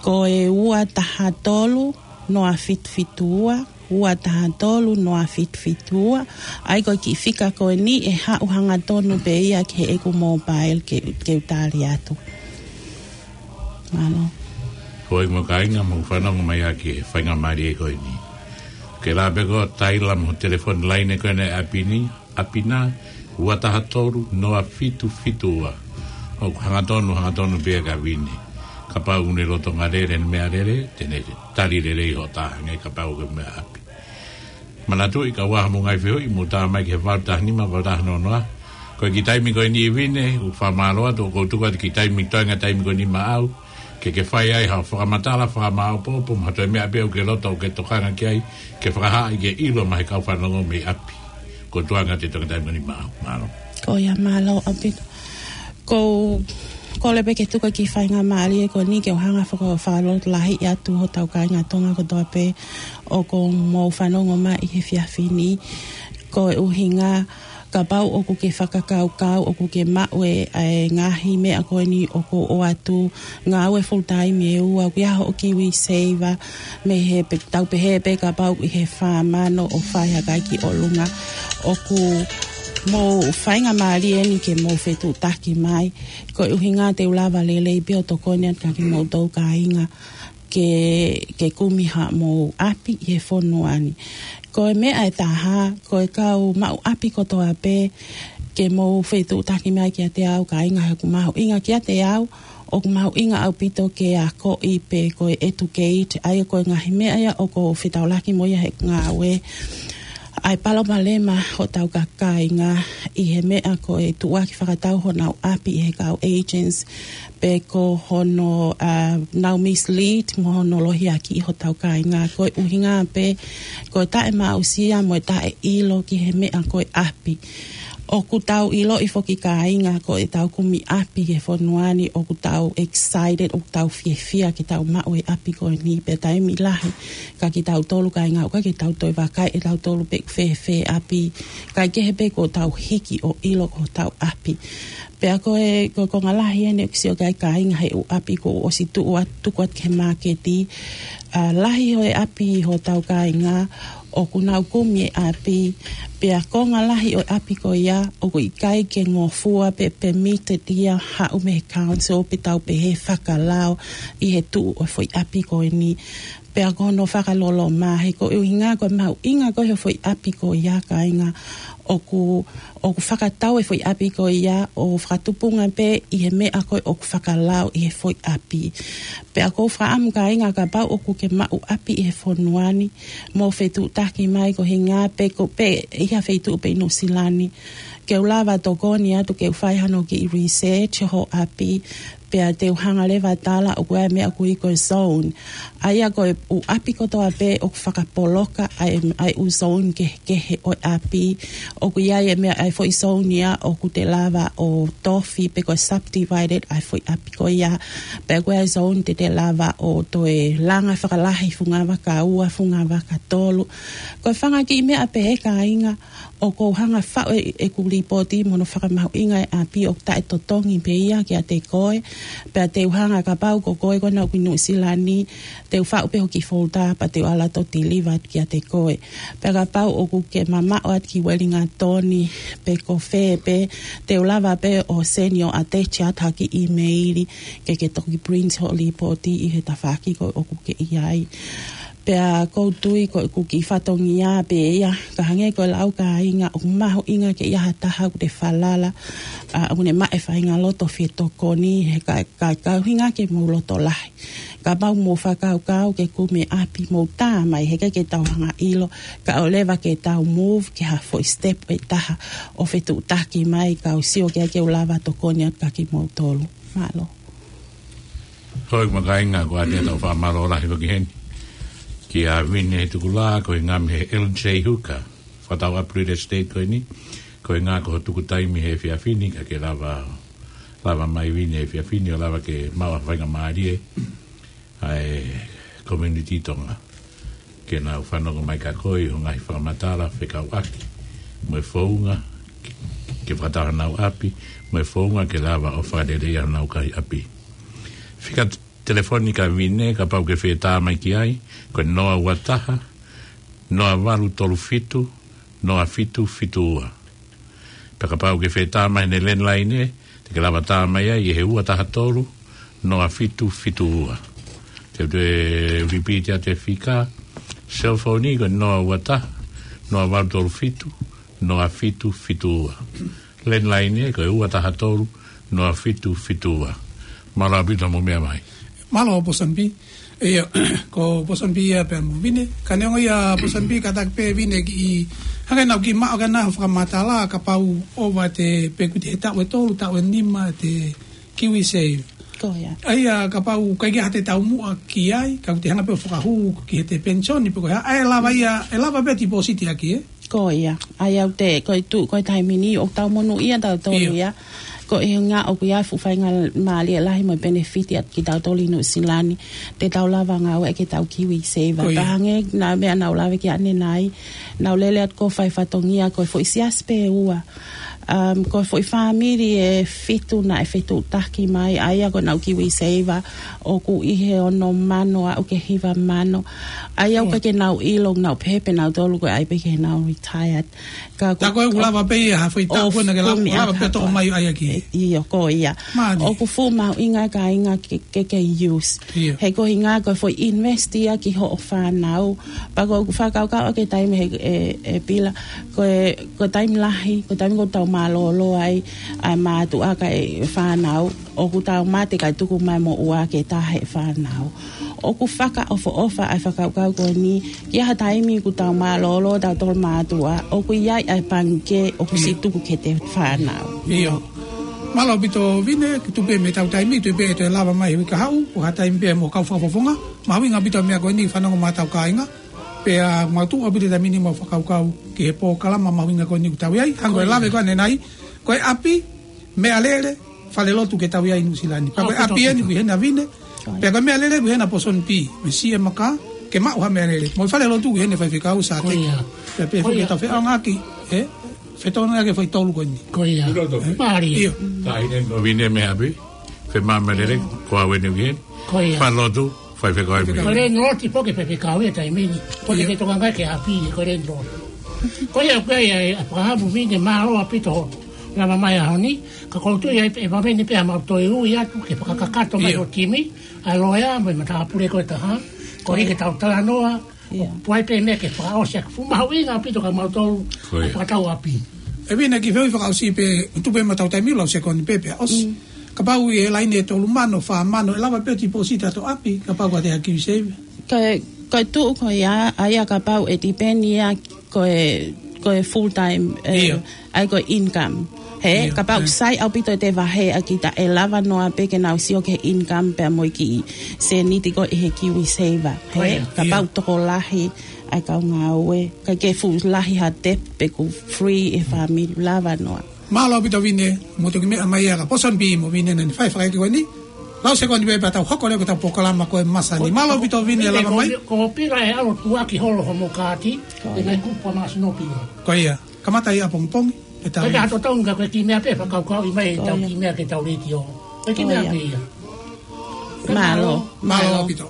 ko e ua taha tolu, noa fitu fitu ua, ua taha tolu, noa fitu fitu ua. ʻA ia ko e kiʻi fika ko eni ʻe haʻu hangatonu pē ia ki heʻeku mobile ke, ke u tali atu. Mālō. Hoi mo kāinga mou fanongo mai ʻaki e faingamālie ko eni. Ke lava pē koe ʻo taila mo e telefoni laine ko eni ʻa e ʻapi ni, ʻapi na, ua taha tolu, noa fitu fitu ua. ʻOku hangatonu, hangatonu pē ia kia Vine. Kapau ʻoku ne lolotonga lele ʻene meʻalele, te ne tali lelei hoʻo tā hangē kapau ʻoku ke meʻa ʻapi. Manatuʻi kapau ʻoku ʻi ai hamou ngaahi fehuʻi, mou tā mai ki he valu taha nima, valu taha noa noa. Ko e kiʻi taimi ko eni Vine, ʻoku ou fakamālō atu, ʻoku ou tuku atu kiʻi taimi, toenga taimi ko eni maʻau, ke ke fai ai haʻo fakamatala, fakamāopoopo, mo ha toe meʻa pē ʻoku ke loto ʻoku ke tokanga ki ai, ke fakahā ai ke ʻilo maʻa e kau fanongo mei ʻapi. Ko e tuʻunga ʻo e toenga taimi ko eni maʻau. Mālō. Ko ia, mālō ʻaupito. Ko, ko le pē ke tuku ki he faingamālie ko eni ke u hanga faka-, fakalotolahiʻi atu hotau kāinga Tonga kotoa pē ʻoku mou fanongo mai he efiafi ni. Ko e ʻuhinga kapau ʻoku ke fakakaukau, ʻoku ke maʻu e, e ngaahi meʻa ko eni ʻoku ʻoatu ngāue full time ʻe ua, ʻoku ʻi ai hoʻo KiwiSaver, mei he pe-, tau pehē pē kapau ʻi he fā mano ʻo fai hake ki ʻolunga. ʻOku mou faingamālie eni ke mou fetuʻutaki mai. Ko e ʻuhinga te u lava lelei pē ʻo tokoni atu kia kimoutolu kāinga ke, ke kumi haʻamou ʻapi ʻi he fonua ni. Ko e meʻa ʻe taha, ko e kau maʻu ʻapi kotoa pē ke mou fetuʻutaki mai kiate au kāinga he ʻoku mahuʻinga kiate au, ʻoku mahuʻinga ʻaupito ke akoʻi pe ko e educate, ʻa ia ko e ngaahi meʻa ia ʻoku ou fetaulaki mo ia he ngāue. ʻA e palopalema hotau kāinga ʻi he meʻa ko e tuʻuaki fakatau honau ʻapi ʻe he kau agents, pe ko hono, ā, nau mislead mo hono lohiakiʻi hotau kāinga. Ko e ʻuhinga pē, ko e taʻemaʻusia mo e taʻeʻilo ki he meʻa ko e ʻapi. ʻOku tau ʻiloʻi foki kāinga ko ʻetau kumi ʻapi he fonua ni, ʻoku tau excited, ʻoku tau fiefia ke tau maʻu e ʻapi ko eni, pea taimi lahi ka kitautolu kāinga ʻoku ʻikai ke tau toe vakai ʻe tautolu pe ʻoku fēfē ʻapi, kae kehe pē ko ʻetau hiki ʻo ʻilo ko hotau ʻapi. Pea ko e, ko e konga lahi eni ʻoku sio ki ai kāinga he ʻū ʻapi kuo ʻosi tuʻu atu, tuku atu ki he māketi. Ā, lahi ʻo e ʻapi hotau kāinga ʻoku nau kumi e ʻapi, pea konga lahi ʻo e ʻapi ko ia ʻoku ʻikai ke ngofua pe permitted ia haʻu mei he council pe tau pehē fakalao ʻi he tuʻu ʻo e foʻi ʻapi ko eni. Pea ko hono fakaloloma, he ko e ʻuhinga ko e mahuʻinga ko e foʻi ʻapi ko ia kāinga, ʻoku, ʻoku fakatau e foʻi ʻapi ko ia ʻo fakatupunga pē ʻi he meʻa ko ē ʻoku fakalao ʻi he foʻi ʻapi. Pea ʻoku ou fakaʻamu kāinga kapau ʻoku ke maʻu ʻapi ʻi he fonua ni, mou fetuʻutaki mai ko e ʻuhinga pē ko pē ʻi ha feituʻu pē ʻi Nuʻusila ni, ke u lava tokoni atu ke u fai hano kiʻi research ho ʻapi, pea te u hanga leva tala ʻoku ʻi ai e meʻa ʻoku ui ko e zone. ʻA ia ko e ʻū ʻapi kotoa pē ʻoku fakapoloka ʻa e, ʻa e ʻū zone kehekehe ʻo e ʻapi. ʻOku ʻi ai e meʻa ʻa e foʻi zone ia ʻoku te lava ʻo tofi pe ko e subdivided ʻa e foʻi ʻapi ko ia. Pea ko e zone te te lava ʻo toe langa fakalahi funga vaka ua, funga vaka tolu. Ko e fanga kiʻi meʻa pē he kāinga, ʻoku ou hanga faʻu e, ʻeku līpooti mo hono fakamahuʻinga e ʻapi ʻoku taʻetotongi pē ia kiate koe, pea te u hanga kapau ko koe ko ena ʻoku ʻi Nuʻusila ni, te u faʻu pē hoku folder pea te u ala atu ʻo deliver kiate koe. Pea kapau ʻoku ke mamaʻo atu ki Uelingatoni, pe ko fē pē, te u lava pē ʻo send ʻo attach atu ha kiʻi email ke ke toki print hoʻo līpooti ʻi he tafaʻaki ko ē ʻoku ke ʻi ai. Pea ʻoku ou tui ko ʻeku kiʻi fatongia pē ia, ka hangē ko e lau kāinga, ʻoku mahuʻinga ke ʻi ai ha taha ʻoku te falala, ā, ʻoku ne maʻu e faʻahinga loto fetokoni, he ka, ka, ka ʻuhinga ke mou loto lahi. Kapau mou fakakaukau ke kumi e ʻapi, mou tā mai he ʻikai ke tau hanga ʻilo, kae ʻoua leva ke tau move ki ha foʻi step ʻe taha ʻo fetuʻutaki mai, kau sio ki ai ke u lava tokoni atu kia kimoutolu. Mālō. Hoi, kāinga, ko ʻetau fakamālō lahi foki heni kia Vine Tukulā, ko e ngaahi he L J Hooker, fakatau ʻapi real estate ko eni, ko e ngaahi ko e tuku taimi he efiafi ni, ka ke lava, lava mai Vine he efiafi ni, ʻo lava ke maʻu ha faingamālie ʻa e community Tonga ke nau fanongo mai kia koe ʻi hoʻo ngaahi fakamatala fekauʻaki mo e founga ke, ke fakatau honau ʻapi, mo e founga ke lava ʻo fakalelei honau ngaahi ʻapi. Fika t-, telefoni kia Vine, kapau ʻoku ke fie tā mai ki ai, ko e noa ua taha, noa valu tolu fitu, noa fitu fitu ua. Pea kapau ʻoku ke fie tā mai he landline, te ke lava tā mai ai ʻi he ua taha tolu, noa fitu fitu ua. Te u toe repeat atu e fika, cell phone ko e noa ua taha, noa valu tolu fitu, noa fitu fitu ua. Landline ko e ua taha tolu, noa fitu fitu ua. Mālō ʻaupito hoʻomou meʻa mai. Mālō Pōsani Pī. ʻIo, ko Pōsani Pī ia pea mo Vine. Ka neongo ia Pōsani Pī, kātaki pē Vine kiʻi, hangē naʻa ku kiʻi maʻu ʻa e ngaahi fakamatala, kapau ʻoku ʻova te, pe ʻoku te he taʻu ʻe tolu, taʻu ʻe nima te KiwiSaver. Ko ia. ʻA ia kapau ʻoku ʻikai ke ʻi ai ha taumuʻa ki ai, ka ʻoku te hanga pē ʻo fakahū ki heʻete pension pe ko e hā, ʻe lava ia, ʻe lava pē deposit ʻaki, ē? Ko ia. ʻA ia ʻoku te, ko e tuʻu, ko e taimi ni, ʻoku tau monūʻia tautolu ia. ʻIo. Ko e ʻuhinga ʻoku ʻi ai e fuʻu faingamālie lahi mo e benefit ʻiate kitautolu ʻi Nuʻusila ni, te tau lava ngāueʻaki ʻetau KiwiSaver. Ko ia. Pea hangē ko e meʻa naʻa ku lave ki ai ʻanenai, naʻa ku lele atu ʻo fai fatongia, ko e foʻi siasi pē ʻe ua. Um, ko e foʻi fāmili ʻe fitu naʻe fetuʻutaki mai, ʻa ia ko ʻenau KiwiSaver ʻoku ʻi he ono mano aʻu ki he hiva mano. ʻA ia ʻoku ʻikai ke nau ʻilo, nau pehē pē nautolu ko e ʻai pē ke nau retired. Ka ko, tā ko ē ʻoku lava pē ia ha foʻi taʻu ko ē naʻa ke lava, lava pē toʻo mai ʻa ia ki. ʻIo, ko ia. Mālie. ʻOku fuʻu mahuʻinga e kāinga ke, ke, ke use. ʻIo. He ko e ʻuhinga ko e foʻi invest ia ki hoʻo fānau. Pea ko ʻeku fakakaukau ʻaki e taimi he, ʻe, ʻe Pila. Ko e, ko e taimi lahi, ko e taimi ʻoku tau mālōlō ai, ʻa e mātuʻa kae fānau. ʻOku tau mate kae tuku mai mo ua ke tahe fānau. ʻOku fakaʻofoʻofa ʻa e fakakaukau ko eni, ki ha taimi ʻoku tau mālōlō tautolu mātuʻa, ʻoku ʻi ai ʻa e pangikē ʻoku siʻi tuku ki he fānau. ʻIo. Mālō ʻaupito Vine, ke tuku pē mei heʻetau taimi, tuku pē ʻe toe lava mai he uike kahaʻu, ko ha taimi pē mo e kau fakafofonga, mahuʻinga ʻaupito e meʻa ko eni fanongo mai ʻetau kāinga, pea mau tuʻu ʻaupito he taimi ni mo e fakakaukau ki he polokalama mahuʻinga ko eni ʻoku tau ʻi ai, hangē ko e lave ko ē ʻanenai, ko e ʻapi, meʻalele, falelotu ke tau ʻi ai ʻi Nuʻusila ni. Pea ko e ʻapi eni ʻoku ʻi hena Vine, pea ko e meʻalele ʻoku ʻi hena Pōsoni B, mei Siʻemaka, ke maʻu ha meʻalele. Mo e falelotu ʻoku ʻi hena Faifekau Sāteki. Ko ia. Pea pehē foki ke tau feʻaongaʻaki, ē? Fetōnaki e foʻi tolu ko eni. Ko ia. Mālie. ʻIo. Taʻahine ʻo Vine mei ʻapi, fai mai meʻalele, ko au eni ʻoku ʻi heni. Ko ia. Falelotu, Faifekau ʻi ai mei. Ko e landlord pē ki he faifekau he taimi ni. Ko e te tokangaʻi ki he ʻapi, ko e landlord. Ko ia, ko ia, ʻe, ʻe, ʻApalahamu Vine, mālō ʻaupito hoʻo lava mai he ʻaho ni, ka ʻoku ou tui ʻe, ʻe vave ni pea mau toe ui atu ke fakakakato mai ʻo timi, ʻa e loea, mo e matāpule ko ē ʻe taha, koeʻuhi ke tau talanoa, ʻoku ʻi ai pē meʻa ke fakaʻosi ʻaki, fuʻu mahuʻinga ʻaupito kia mautolu, ʻa e fakatau ʻapi. ʻE Vine, kiʻi fehuʻi fakaʻosi pē, tuku pē mo ʻetau taimi ʻe lau sekoni pē pea ʻosi. Kapau ʻi he laine ʻe tolu mano, fā mano, ʻe lava pē ʻo tipōsita ʻi hoto ʻapi, kapau ʻoku ʻiate koe ha KiwiSaver. Ko e, ko e tuʻu ko ia, ʻa ia kapau ʻe tipeni ia ko e, ko e full time, ʻa ia ko e income. He, kapau ʻoku sai ʻaupito ʻete vaheʻi ʻaki, ta ʻe lava noa pē ke nau sio ki he income pea mo e kiʻi sēniti ko ē ʻi he KiwiSaver. He, kapau tokolahi ʻa e kau ngāue, ʻikai ke fuʻu lahi ha debt pe ʻoku free e fāmili, lava noa. Mālō ʻaupito Vine, mo e toki meʻa mai ʻa e Pōsoni B mo Vine naʻa ne fai e fakaʻeke ko eni. Lau sekoni pē pea tau hoko leva ki heʻetau polokalama ko ē ʻi he māhina ni. Mālō ʻaupito Vine, lava mai. Ko, ko Pila ʻe ʻalu ʻo tukuakiʻi holo hoʻomo kaati, ʻi he ngaahi kupu ʻa Māsino Pila. Ko ia, kamata ʻi ʻapongipongi, ʻe tau. Ko e ka hato taunga ko e kiʻi meʻa pē, fakakaukauʻi mai ʻetau kiʻi meʻa ki heʻetau letiō. Ko e kiʻi meʻa pē ia. Mālō. Mālō ʻaupito.